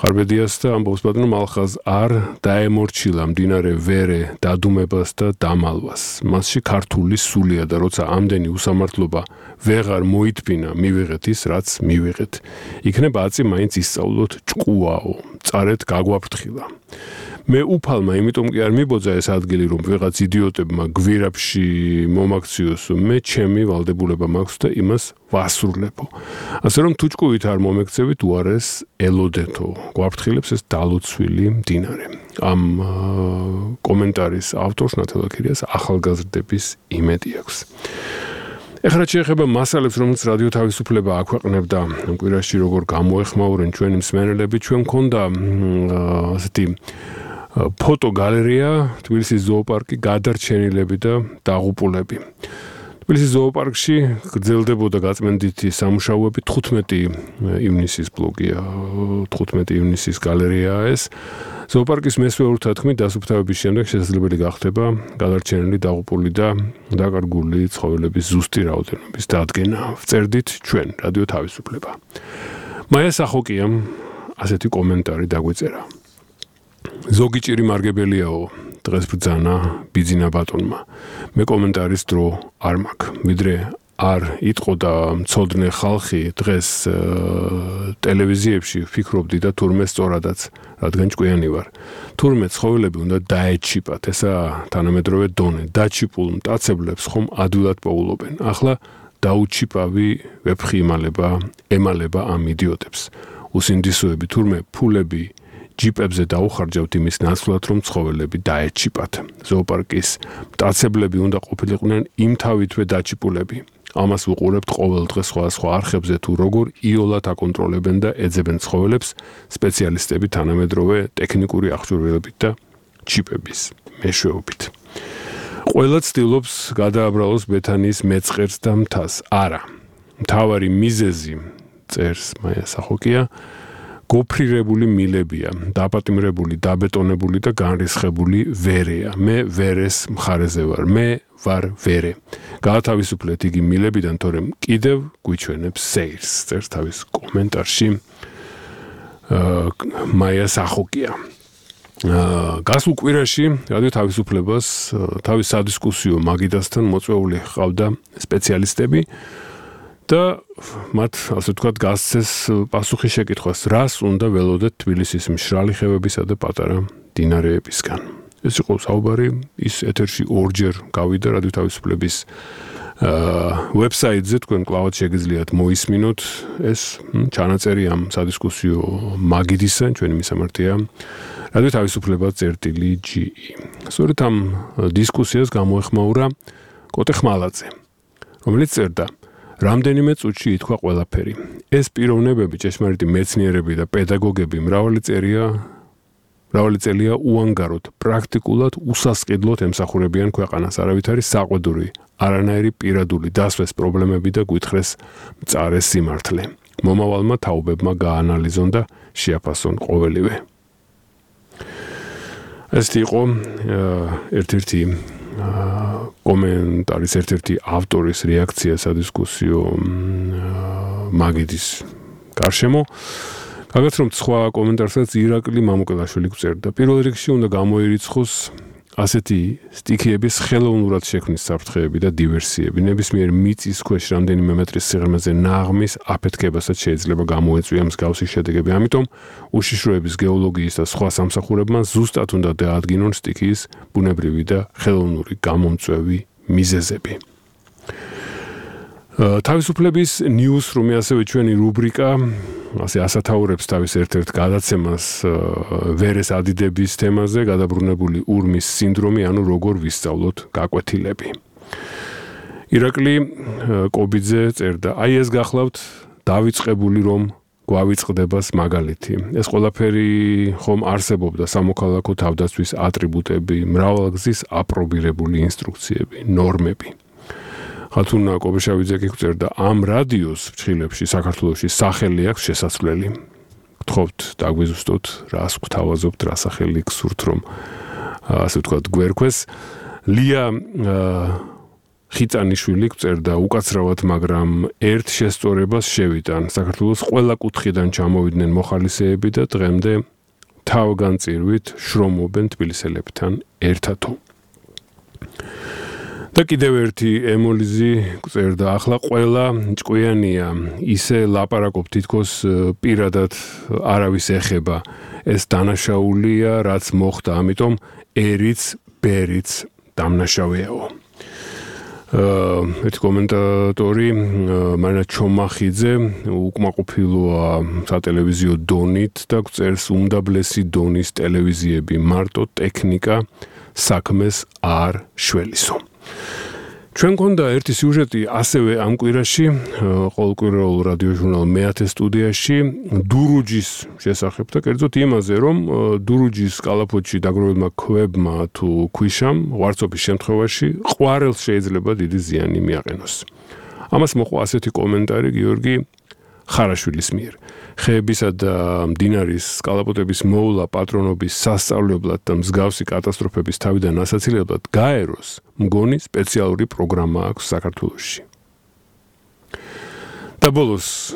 ხარბედიას და ამბობს ბატონო მალხაზ არ დაემორჩილა მდინარე ვერე დადუმებას და დამალვას. მასში ქართული სულია და როცა ამდენი უსამართლობა ვეღარ მოითბინა, მივიღეთ ის, რაც მივიღეთ. იქნება აწი მაინც ისწავლოთ ჭკუაო, წარეთ გაგვაფრთხილა. მე უფალმა იმიტომ კი არ მიბოძა ეს ადგილი, რომ ვიღაც იდიოტებმა გვირაბში მომაქციოსო, მე ჩემი ვალდებულება მაქვს და იმას ვასრულებო. ასე რომ თუ ჭკუით არ მომექცევით, უარეს ელოდეთო. გვაფრთხილებს ეს დალოცვილი მდინარე. ამ კომენტარის ავტორს ნათელა ქირიას ახალგაზრდების იმედი აქვს. ეხლა შეეხება მასალებს, რომელიც რადიო თავისუფლება აქვეყნებდა ამ კვირაში, როგორ გამოეხმაურენ ჩვენი მსმენელები, ჩვენ მქონდა ასეთი ფოტოგალერეა, თბილისის ზოოპარკი, გადარჩენილები და დაღუპულები. თბილისის ზოოპარკში გრძელდებოდა გაწმენდითი სამუშაოები, თხუთმეტი ივნისის ბლოგია, თხუთმეტი ივნისის გალერეაა ეს. ზოოპარკის მესვე ურთათქმით დასუფთავების შემდეგ შესაძლებელი გახდება გადარჩენილი, დაღუპული და დაკარგული ცხოველების ზუსტი რაოდენობის დადგენა. ვწერდით ჩვენ, რადიო თავისუფლება. მაია სახოკიამ ასეთი კომენტარი დაგვიწერა. ზოგი ჭირი მარგებელიაო, დღეს ბრძანა ბიძინა ბატონმა. მე კომენტარის დრო არ მაქვს, ვიდრე არ იტყო და მცოდნე ხალხი დღეს ტელევიზიებში ფიქრობდი და თურმე სწორადაც, რადგან ჭკვიანი ვარ. თურმე ცხოველები უნდა დაეჩიპათ, ესა თანამედროვე დონე. დაჩიპულ მტაცებლებს ხომ ადვილად პოულობენ. ახლა დაუჩიპავი ვეფხი იმალება, ემალება ამ იდიოტებს. უსინდისოები თურმე ფულები ჯიპებზე დაუხარჯავთ იმის ნაცვლად, რომ ცხოველები დაეჩიპათ. ზოოპარკის მტაცებლები უნდა ყოფილიყვნენ იმთავითვე დაჩიპულები. ამას ვუყურებთ ყოველ დღე სხვადასხვა არხებზე თუ როგორ იოლად აკონტროლებენ და ეძებენ ცხოველებს სპეციალისტები თანამედროვე ტექნიკური აღჭურვილობით და ჩიპების მეშვეობით. ყველა ცდილობს გადააბრალოს ბეთანიის მეწყერს და მთას. არა. მთავარი მიზეზი წერს მაია სახოკია გოფრირებული მილებია, დაპატიმრებული, დაბეტონებული და განრისხებული ვერეა. მე ვერეს მხარეზე ვარ. მე ვარ ვერე. გაათავისუფლეთ იგი მილებიდან, თორემ კიდევ გვიჩვენებს სეირს. წერს თავის კომენტარში მაია სახოკია. გასულ კვირაში რადიო თავისუფლებას თავის სადისკუსიო მაგიდასთან მოწვეული ჰყავდა სპეციალისტები და მათ ასე ვთქვათ გასცეს პასუხი შეკითხვას, რას უნდა ველოდეთ თბილისის მშრალი ხევებისა და პატარა მდინარეებისგან. ეს იყო საუბარი, ის ეთერში ორჯერ გავიდა რადიო თავისუფლების ვებსაიტზე, თქვენ კლავად შეგიძლიათ მოისმინოთ ეს ჩანაწერი ამ სადისკუსიო მაგიდისა, ჩვენი მისამართია რადიო თავისუფლება წერტილი ჯი ი. სწორედ ამ დისკუსიას გამოეხმაურა კოტე ხმალაძე, რომელიც წერდა რამდენიმე წუთში ითქვა ყველაფერი. ეს პიროვნებები, ჭეშმარიტი მეცნიერები და პედაგოგები მრავალი წერია, მრავალი წელია უანგაროდ, პრაქტიკულად უსასყიდლოდ ემსახურებიან ქვეყანას. არავით არის საყვედური, არანაირი პირადული დასვეს პრობლემები და გვითხრეს მწარე სიმართლე. მომავალმა თაობებმა გაანალიზონ და შეაფასონ ყოველივე. ეს იყო ერთ-ერთი კომენტარის ერთ-ერთი ავტორის რეაქცია სადისკუსიო მაგიდის გარშემო. გაგაცნობთ სხვა კომენტარსაც ირაკლი მამუკელაშვილი გვწერდა. პირველ რიგში უნდა გამოირიცხოს ასეთი სტიქიების ხელოვნურად შექმნის საფრთხეები და დივერსიები. ნებისმიერ მიწის ქვეშ რამდენიმე მეტრის სიღრმეზე ნაღმის აფეთქებასაც შეიძლება გამოეწვია მსგავსი შედეგები. ამიტომ უშიშროების გეოლოგიის და სხვა სამსახურებმა ზუსტად უნდა დაადგინონ სტიქიის ბუნებრივი და ხელოვნური გამომწვევი მიზეზები. თავისუფლების ნიუსრუმი ასევე ჩვენი რუბრიკა ასე ასათაურებს თავის ერთ-ერთ გადაცემას ვერეს ადიდების თემაზე გადაბრუნებული ურმის სინდრომი, ანუ როგორ ვისწავლოთ გაკვეთილები. ირაკლი კობიძე წერდა: "აი ეს გახლავთ დავიწყებული რომ გვავიწყდებას მაგალითი. ეს ყველაფერი ხომ არსებობდა სამოქალაქო თავდაცვის ატრიბუტები, მრავალგზის აპრობირებული ინსტრუქციები, ნორმები." ხათუნა კობეშავიძე კი წერდა: "ამ რადიოს ფრჩხილებში საქართველოში სახელი აქვს შესასვლელი. გთხოვთ დაგვიზუსტოთ, რას გვთავაზობთ, რა სახელი გსურთ რომ ასე ვთქვათ გვერქვეს." ლია ხიწანიშვილი წერდა: "უკაცრავად, მაგრამ ერთ შესწორებას შევიტან. საქართველოს ყველა კუთხიდან ჩამოვიდნენ მოხალისეები და დღემდე თავგანწირვით შრომობენ თბილისელებთან ერთადო." და კიდევ ერთი ემოლიზი წერდა: "ახლა ყველა ჭკვიანია, ისე ლაპარაკობ თითქოს პირადად არავის ეხება. ეს დანაშაულია, რაც მოხდა, ამიტომ ერიც, ბერიც დამნაშავეაო." ერთი კომენტატორი მარინა ჩომახიძე უკმაყოფილოა სატელევიზიო დონით და წერს: "უმდაბლესი დონის ტელევიზიები, მარტო ტექნიკა საქმეს არ შველისო." ჩვენ გქონდა ერთი სიუჟეტი ასევე ამ კვირაში, ყოველკვირეულ რადიო ჟურნალ მეათე სტუდიაში დურუჯის შესახებ და კერძოდ იმაზე, რომ დურუჯის კალაპოტში დაგროვილმა ქვებმა თუ ქვიშამ ღვარცობის შემთხვევაში ყვარელს შეიძლება დიდი ზიანი მიაყენოს. ამას მოყვა ასეთი კომენტარი გიორგი ხარაშვილის მიერ: "ხეებისა და მდინარის კალაპოტების მოვლა პატრონობის სასწავლებლად და მსგავსი კატასტროფების თავიდან ასაცილებლად გაეროს მგონი სპეციალური პროგრამა აქვს საქართველოში." და ბოლოს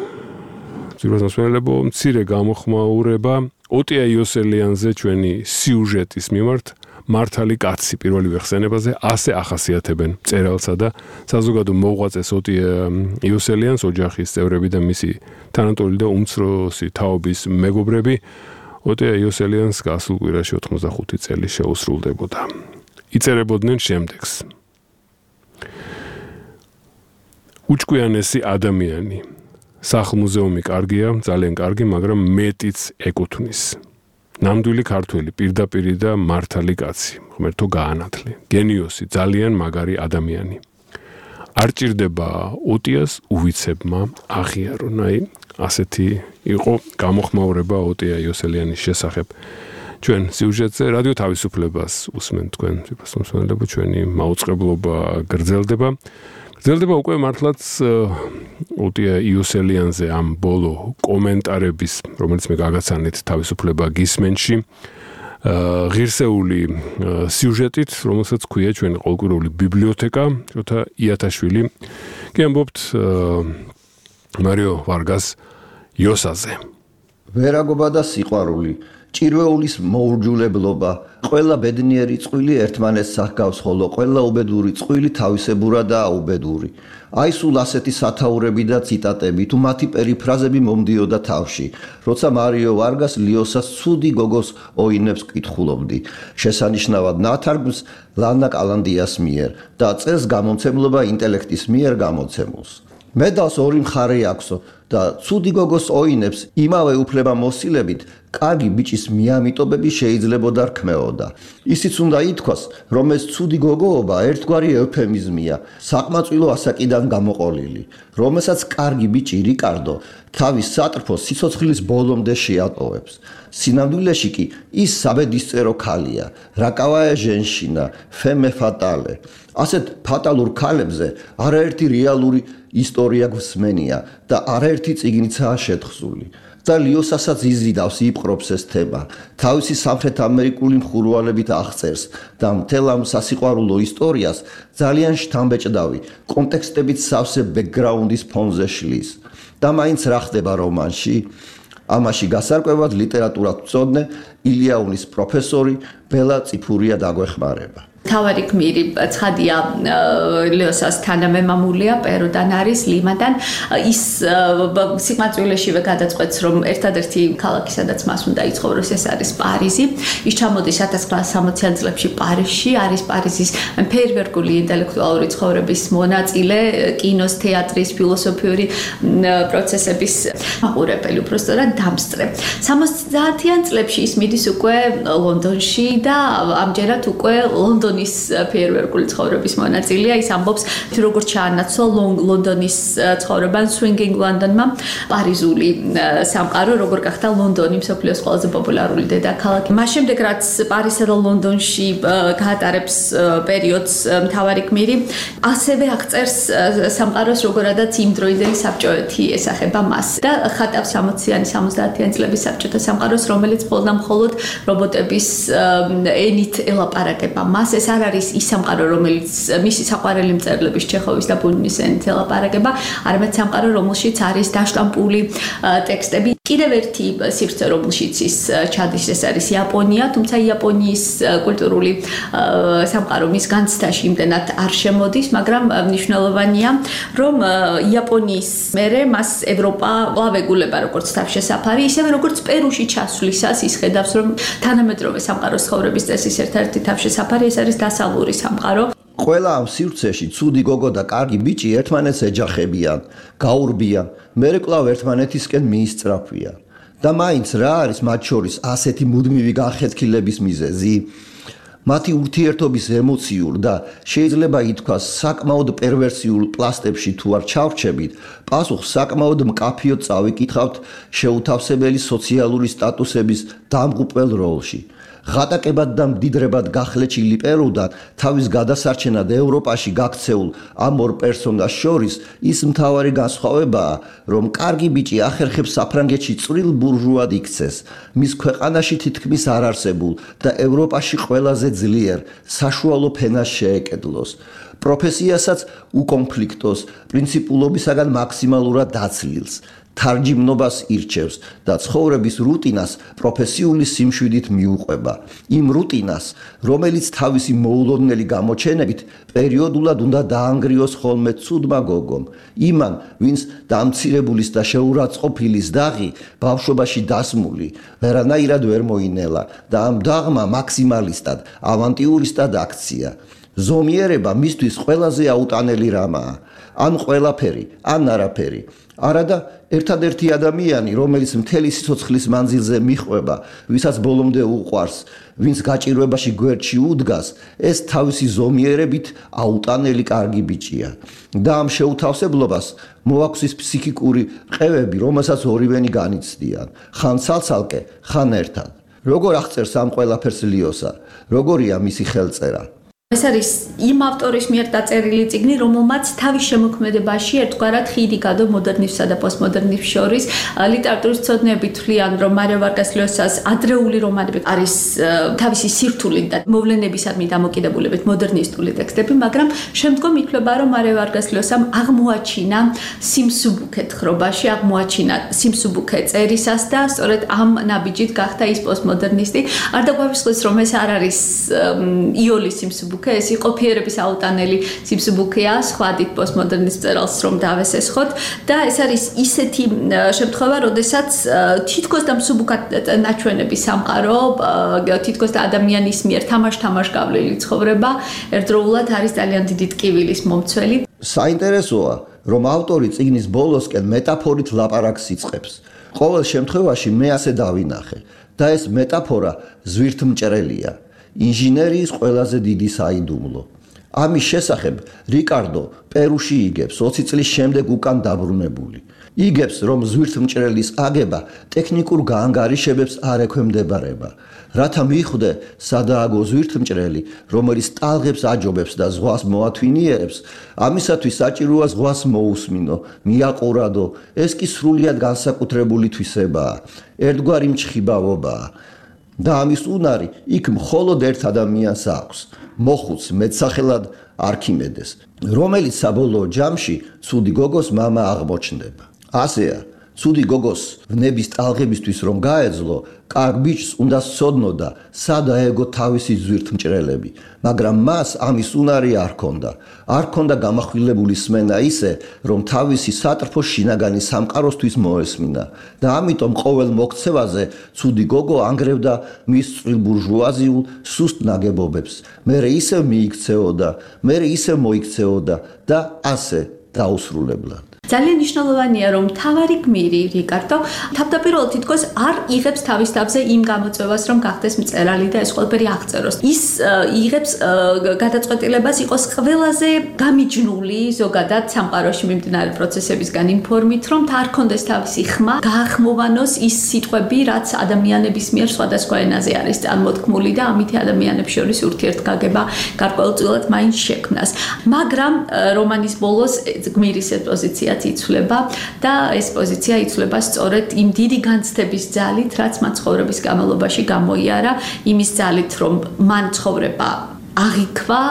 ძიროს მასმენელებო მცირე გამოხმაურება ოტია იოსელიანზე ჩვენი სიუჟეტის მიმართ. მართალი კაცი პირველი ხსენებაზე ასე ახასიათებენ მწერალსა და საზოგადო მოღვაწეს ოტია იოსელიანს ოჯახის წევრები და მისი თანატოლი და უმცროსი თაობის მეგობრები. ოტია იოსელიანს გასულ კვირაში ოთხმოცდახუთი წელი შეუსრულდებოდა. იწერებოდნენ შემდეგს: "უჭკვიანესი ადამიანი. სახლ-მუზეუმი კარგია, ძალიან კარგი, მაგრამ მეტიც ეკუთვნის. ნამდვილი ქართველი, პირდაპირი და მართალი კაცი, ღმერთო გაანათლე. გენიოსი, ძალიან მაგარი ადამიანი. არ ჭირდება ოტიას უვიცებმა აღიარონ." აი, ასეთი იყო გამოხმაურება ოტია იოსელიანის შესახებ. ჩვენ სიუჟეტზე რადიო თავისუფლებას უსმენთ თქვენ, მსმენელებო, ჩვენი მაუწყებლობა გრძელდება. გრძელდება უკვე მართლაც ოტია იოსელიანზე ამ ბოლო კომენტარების, რომელიც მე გაგაცანით თავისუფლება გისმენში, ღირსეული სიუჟეტით, რომელსაც ქვია ჩვენი ყოველკვირეული ბიბლიოთეკა, როთა იათაშვილი. კი ამბობთ მარიო ვარგას იოსაზე. ვერაგობა და სიყვარული, ჭირვეულის მოურჯულებლობა, ყველა ბედნიერი წყვილი ერთმანეთს ახგავს, ხოლო ყველა უბედური წყვილი თავისებურა და აუბედური. აი სულ ასეთი სათაურები და ციტატები თუ მათი პერიფრაზები მომდიოდა თავში, როცა მარიო ვარგას ლიოსას ცუდი გოგოს ოინებს კითხულობდი. შესანიშნავად ნათარგმნს ლანა კალანდიას მიერ და წელს გამომცემლობა ინტელექტის მიერ გამოცემულს. მედალს ორი მხარე აქვსო და ცუდი გოგოს ოინებს იმავე უფლებამოსილებით კარგი ბიჭის მიამიტობები შეიძლებოდა რქმეოდა. ისიც უნდა ითქვას, რომ ეს ცუდი გოგოობა ერთგვარი ევფემიზმია, საყმაწვილო ასაკიდან გამოყოლილი, რომელსაც კარგი ბიჭი რიკარდო თავის სატრფოს სიცოცხლის ბოლომდე შეატოვებს. სინამდვილეში კი ის საბედისწერო ქალია, რაკავაე ჟენშინა, ფემე ფატალე. ასეთ ფატალურ ქალებზე არაერთი რეალური ისტორია გვსმენია და არაერთი წიგნიცაა შეთხზული. და ლიოსასაც იზიდავს იპყრობს ეს თემა. თავისი სამხრეთ ამერიკული მხურვალებით აღწერს და მთელ ამ სასიყვარულო ისტორიას ძალიან შთამბეჭდავი კონტექსტებით სავსე ბექგრაუნდის ფონზე შლის. და მაინც რა ხდება რომანში? ამაში გასარკვევად ლიტერატურათმცოდნე ილიაუნის პროფესორი ბელა წიფურია დაგვეხმარება. თავარი გმირი ცხადია ლეოსას თანამემამულია პეროდან არის ლიმადან ის სიყვარულეშივე გადაწყვეტს რომ ერთადერთი ქალაქი სადაც მას უნდა იცხოვროს ეს არის პარიზი ის ჩამოდის ათას ათასცხრაასა სამოციან წლებში პარიზში არის პარიზის ფეერვერკული ინტელექტუალური ცხოვრების მონაწილე კინოს თეატრის ფილოსოფიური პროცესების მაყურებელი უბრალოდ დამსწრე სამოცდაათიან წლებში ის მიდის უკვე ლონდონში და ამჯერად უკვე ლონდონის ფეერვერკული ცხოვრების მონაწილეა ის ამბობს როგორც ჩაანაცვლა ლონდონის ცხოვრებან swinging London-მა პარიზული სამყარო როგორ გახდა ლონდონი მსოფლიოს ყველაზე პოპულარული დედაქალაქი მას შემდეგ რაც პარიზსა და ლონდონში გაატარებს პერიოდს მთავარი გმირი ასევე აღწერს სამყაროს როგორადაც იმდროინდელი საბჭოეთი ესახება მას და ხატავს სამოციანი სამოცდაათიან წლების საბჭოთა სამყაროს რომელიც მხოლოდ მხოლოდ რობოტების ენით ელაპარაკება მას ეს არ არის ის სამყარო რომელიც მისი საყვარელი მწერლების ჩეხოვის და ბუნინის ენით ელაპარაკება არამედ სამყარო რომელშიც არის დაშტამპული ტექსტები კიდევ ერთი სივრცე რომელშიც ის ჩადის ეს არის იაპონია თუმცა იაპონიის კულტურული სამყარო მის განცდაში იმდენად არ შემოდის მაგრამ მნიშვნელოვანია რომ იაპონიის მერე მას ევროპა ლავეგულება როგორც თავშესაფარი ისევე როგორც პერუში ჩასვლისას ის ხედავს რომ თანამედროვე სამყაროს ცხოვრების წესის ერთ-ერთი თავშესაფარი ეს არის დასავლური სამყარო ყველა ამ სივრცეში ცუდი გოგო და კარგი ბიჭი ერთმანეთს ეჯახებიან, გაურბიან, მერე კვლავ ერთმანეთისკენ მიისწრაფვიან. და მაინც რა არის მათ შორის ასეთი მუდმივი განხეთქილების მიზეზი? მათი ურთიერთობის ემოციურ და შეიძლება ითქვას საკმაოდ პერვერსიულ პლასტებში თუ არ ჩავრჩებით, პასუხს საკმაოდ მკაფიოდ წავიკითხავთ შეუთავსებელი სოციალური სტატუსების დამღუპველ როლში. ღატაკებად და მდიდრებად გახლეჩილი პერუდან თავის გადასარჩენად ევროპაში გაქცეულ ამ ორ პერსონას შორის ის მთავარი განსხვავებაა, რომ კარგი ბიჭი ახერხებს საფრანგეთში წვრილ ბურჟუად იქცეს, მის ქვეყანაში თითქმის არ არსებულ და ევროპაში ყველაზე ძლიერ საშუალო ფენას შეეკედლოს. პროფესიასაც უკონფლიქტოს, პრინციპულობისაგან მაქსიმალურად დაცლილს. თარჯიმნობას ირჩევს და ცხოვრების რუტინას პროფესიული სიმშვიდით მიუყვება. იმ რუტინას, რომელიც თავისი მოულოდნელი გამოჩენებით პერიოდულად უნდა დაანგრიოს ხოლმე ცუდმა გოგომ. იმან, ვინც დამცირებულის და შეურაცხყოფილის დაღი ბავშვობაში დასმული, ვერანაირად ვერ მოინელა და ამ დაღმა მაქსიმალისტად, ავანტიურისტად აქცია. ზომიერება მისთვის ყველაზე აუტანელი რამაა. ან ყველაფერი, ან არაფერი. არადა ერთადერთი ადამიანი, რომელიც მთელი სიცოცხლის მანძილზე მიხვება, ვისაც ბოლომდე უყვარს, ვინც გაჭირვებაში გვერდში უდგას, ეს თავისი ზომიერებით აუტანელი კარგი ბიჭია. და ამ შეუთავსებლობას მოაქვს ის ფსიქიკური ყევები, რომელსაც ორივენი განიცდიან, ხან ცალცალკე, ხან ერთად. როგორ აღწერს ამ ყველაფერს ლიოსა? როგორია მისი ხელწერა? ეს არის იმ ავტორის მიერ დაწერილი წიგნი, რომელმაც თავის შემოქმედებაში ერთგვარად ხიდი გადო მოდერნიზმსა და პოსტმოდერნიზმს შორის. ლიტერატურის მცოდნეები თვლიან, რომ მარია ვარგას ლიოსას ადრეული რომანები არის თავისი სირთულით და მოვლენებისადმი დამოკიდებულებით მოდერნისტული ტექსტები, მაგრამ შემდგომ ითვლება, რომ მარია ვარგას ლიოსამ აღმოაჩინა სიმსუბუქე თხრობაში, აღმოაჩინა სიმსუბუქე წერისას და სწორედ ამ ნაბიჯით გახდა ის პოსტმოდერნისტი. არ დაგვაგვისხლოს, რომ ეს არ არის იოლის სიმსუბუქე ეს იყო ფიერების აუტანელი სიმსუბუქეა სხვადით პოსტმოდერნის წერალს რომ დავესესხოთ და ეს არის ისეთი შემთხვევა, როდესაც თითქოს და მსუბუქად ნაჩვენები სამყარო, თითქოს და ადამიანის მიერ თამაშ-თამაშ გავლილი ცხოვრება ერთდროულად არის ძალიან დიდი ტკივილის მომცველი. საინტერესოა, რომ ავტორი წიგნის ბოლოსკენ მეტაფორით ლაპარაკს იწყებს. ყოველ შემთხვევაში მე ასე დავინახე და ეს მეტაფორა ზვირთმჭრელია. ინჟინერიის ყველაზე დიდი საიდუმლო. ამის შესახებ რიკარდო პერუში იგებს ოცი წლის შემდეგ უკან დაბრუნებული. იგებს, რომ ზვირთმჭრელის აგება ტექნიკურ გაანგარიშებებს არ ექვემდებარება. რათა მიხვდე სადააგო ზვირთმჭრელი, რომელიც ტალღებს აჯობებს და ზღვას მოათვინიერებს, ამისათვის საჭიროა ზღვას მოусმინო, მიაყურადო, ეს კი სრულიად განსაკუთრებული თვისებაა, ერთგვარი მჩხიბავობაა. და ამის უნარი იქ მხოლოდ ერთ ადამიანს აქვს, მოხუც მეტსახელად არქიმედეს, რომელიც საბოლოო ჯამში ცუდი გოგოს მამა აღმოჩნდება. ასეა, ცუდი გოგოს ვნების ტალღებისთვის რომ გაეძლო, კარგ ბიჭს უნდა სცოდნოდა, სად აეგო თავისი ზვირთმჭრელები, მაგრამ მას ამის უნარი არ ჰქონდა. არ ჰქონდა გამახვილებული სმენა ისე, რომ თავისი სატრფო შინაგანი სამყაროსთვის მოესმინა და ამიტომ ყოველ მოქცევაზე ცუდი გოგო ანგრევდა მის წვრილ ბურჟუაზიულ სუსტ ნაგებობებს. მერე ისევ მიიქცეოდა, მერე ისევ მოიქცეოდა და ასე დაუსრულებლად. ძალიან მნიშვნელოვანია რომ თავარი გმირი რიკარდო თავდაპირველად თითქოს არ იღებს თავის თავზე იმ გამოწვევას რომ გახდეს მწერალი და ეს ყველაფერი აღწეროს. ის იღებს გადაწყვეტილებას იყოს ყველაზე გამიჯნული ზოგადად სამყაროში მიმდინარე პროცესებისგან იმ ფორმით რომ არ კონდეს თავისი ხმა, გაახმოვანოს ის სიტყვები, რაც ადამიანების მიერ სხვადასხვა ენაზე არის წარმოთქმული და ამითი ადამიანებს შორის ურთიერთგაგება გარკვეულწილად მაინც შექმნას. მაგრამ რომანის ბოლოს გმირის პოზიცია იცვლება და ეს პოზიცია იცვლება სწორედ იმ დიდი განცდების ძალით, რაც მან ცხოვრების განმავლობაში გამოიარა, იმის ძალით, რომ მან ცხოვრება აღიქვა,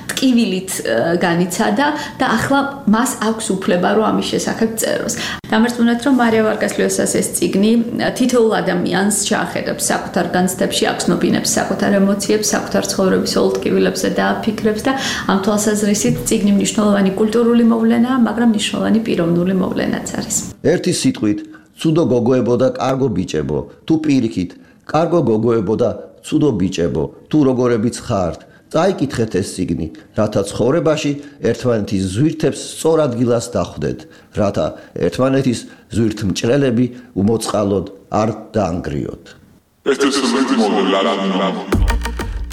ტკივილით განიცადა და ახლა მას აქვს უფლება, რომ ამის შესახებ წეროს. დამარწმუნეთ, რომ მარია ვარგას ლიოსას ეს წიგნი თითოეულ ადამიანს ჩაახედებს საკუთარ განცდებში, აკცნობინებს საკუთარ ემოციებს, საკუთარ ცხოვრების ოღონდ ტკივილებზე და ფიქრებს და ამ თვალსაზრისით წიგნი მნიშვნელოვანი კულტურული მოვლენაა, მაგრამ მნიშვნელოვანი პიროვნული მოვლენაც არის. ერთი სიტყვით, ცუდო გოგოებო და კარგო ბიჭებო, თუ პირიქით, კარგო გოგოებო და ცუდო ბიჭებო, თუ როგორებიც ხართ, წაიკითხეთ ეს წიგნი, რათა ცხოვრებაში ერთმანეთის ზვირთებს სწორ ადგილას დახვდეთ, რათა ერთმანეთის ზვირთმჭრელები უმოწყალოდ არ დაანგრიოთ.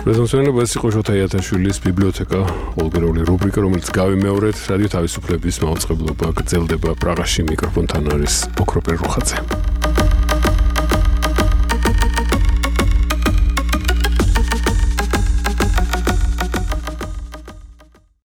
პრეზენტაცია ეს იყო შოთა იათაშვილის ბიბლიოთეკა, ოლგერული რუბრიკა, რომელიც გავიმეორეთ, რადიო თავისუფლების მაუწყებლობა გრძელდება პრაღაში, მიკროფონთან არის ოქროპერ რუხაძე.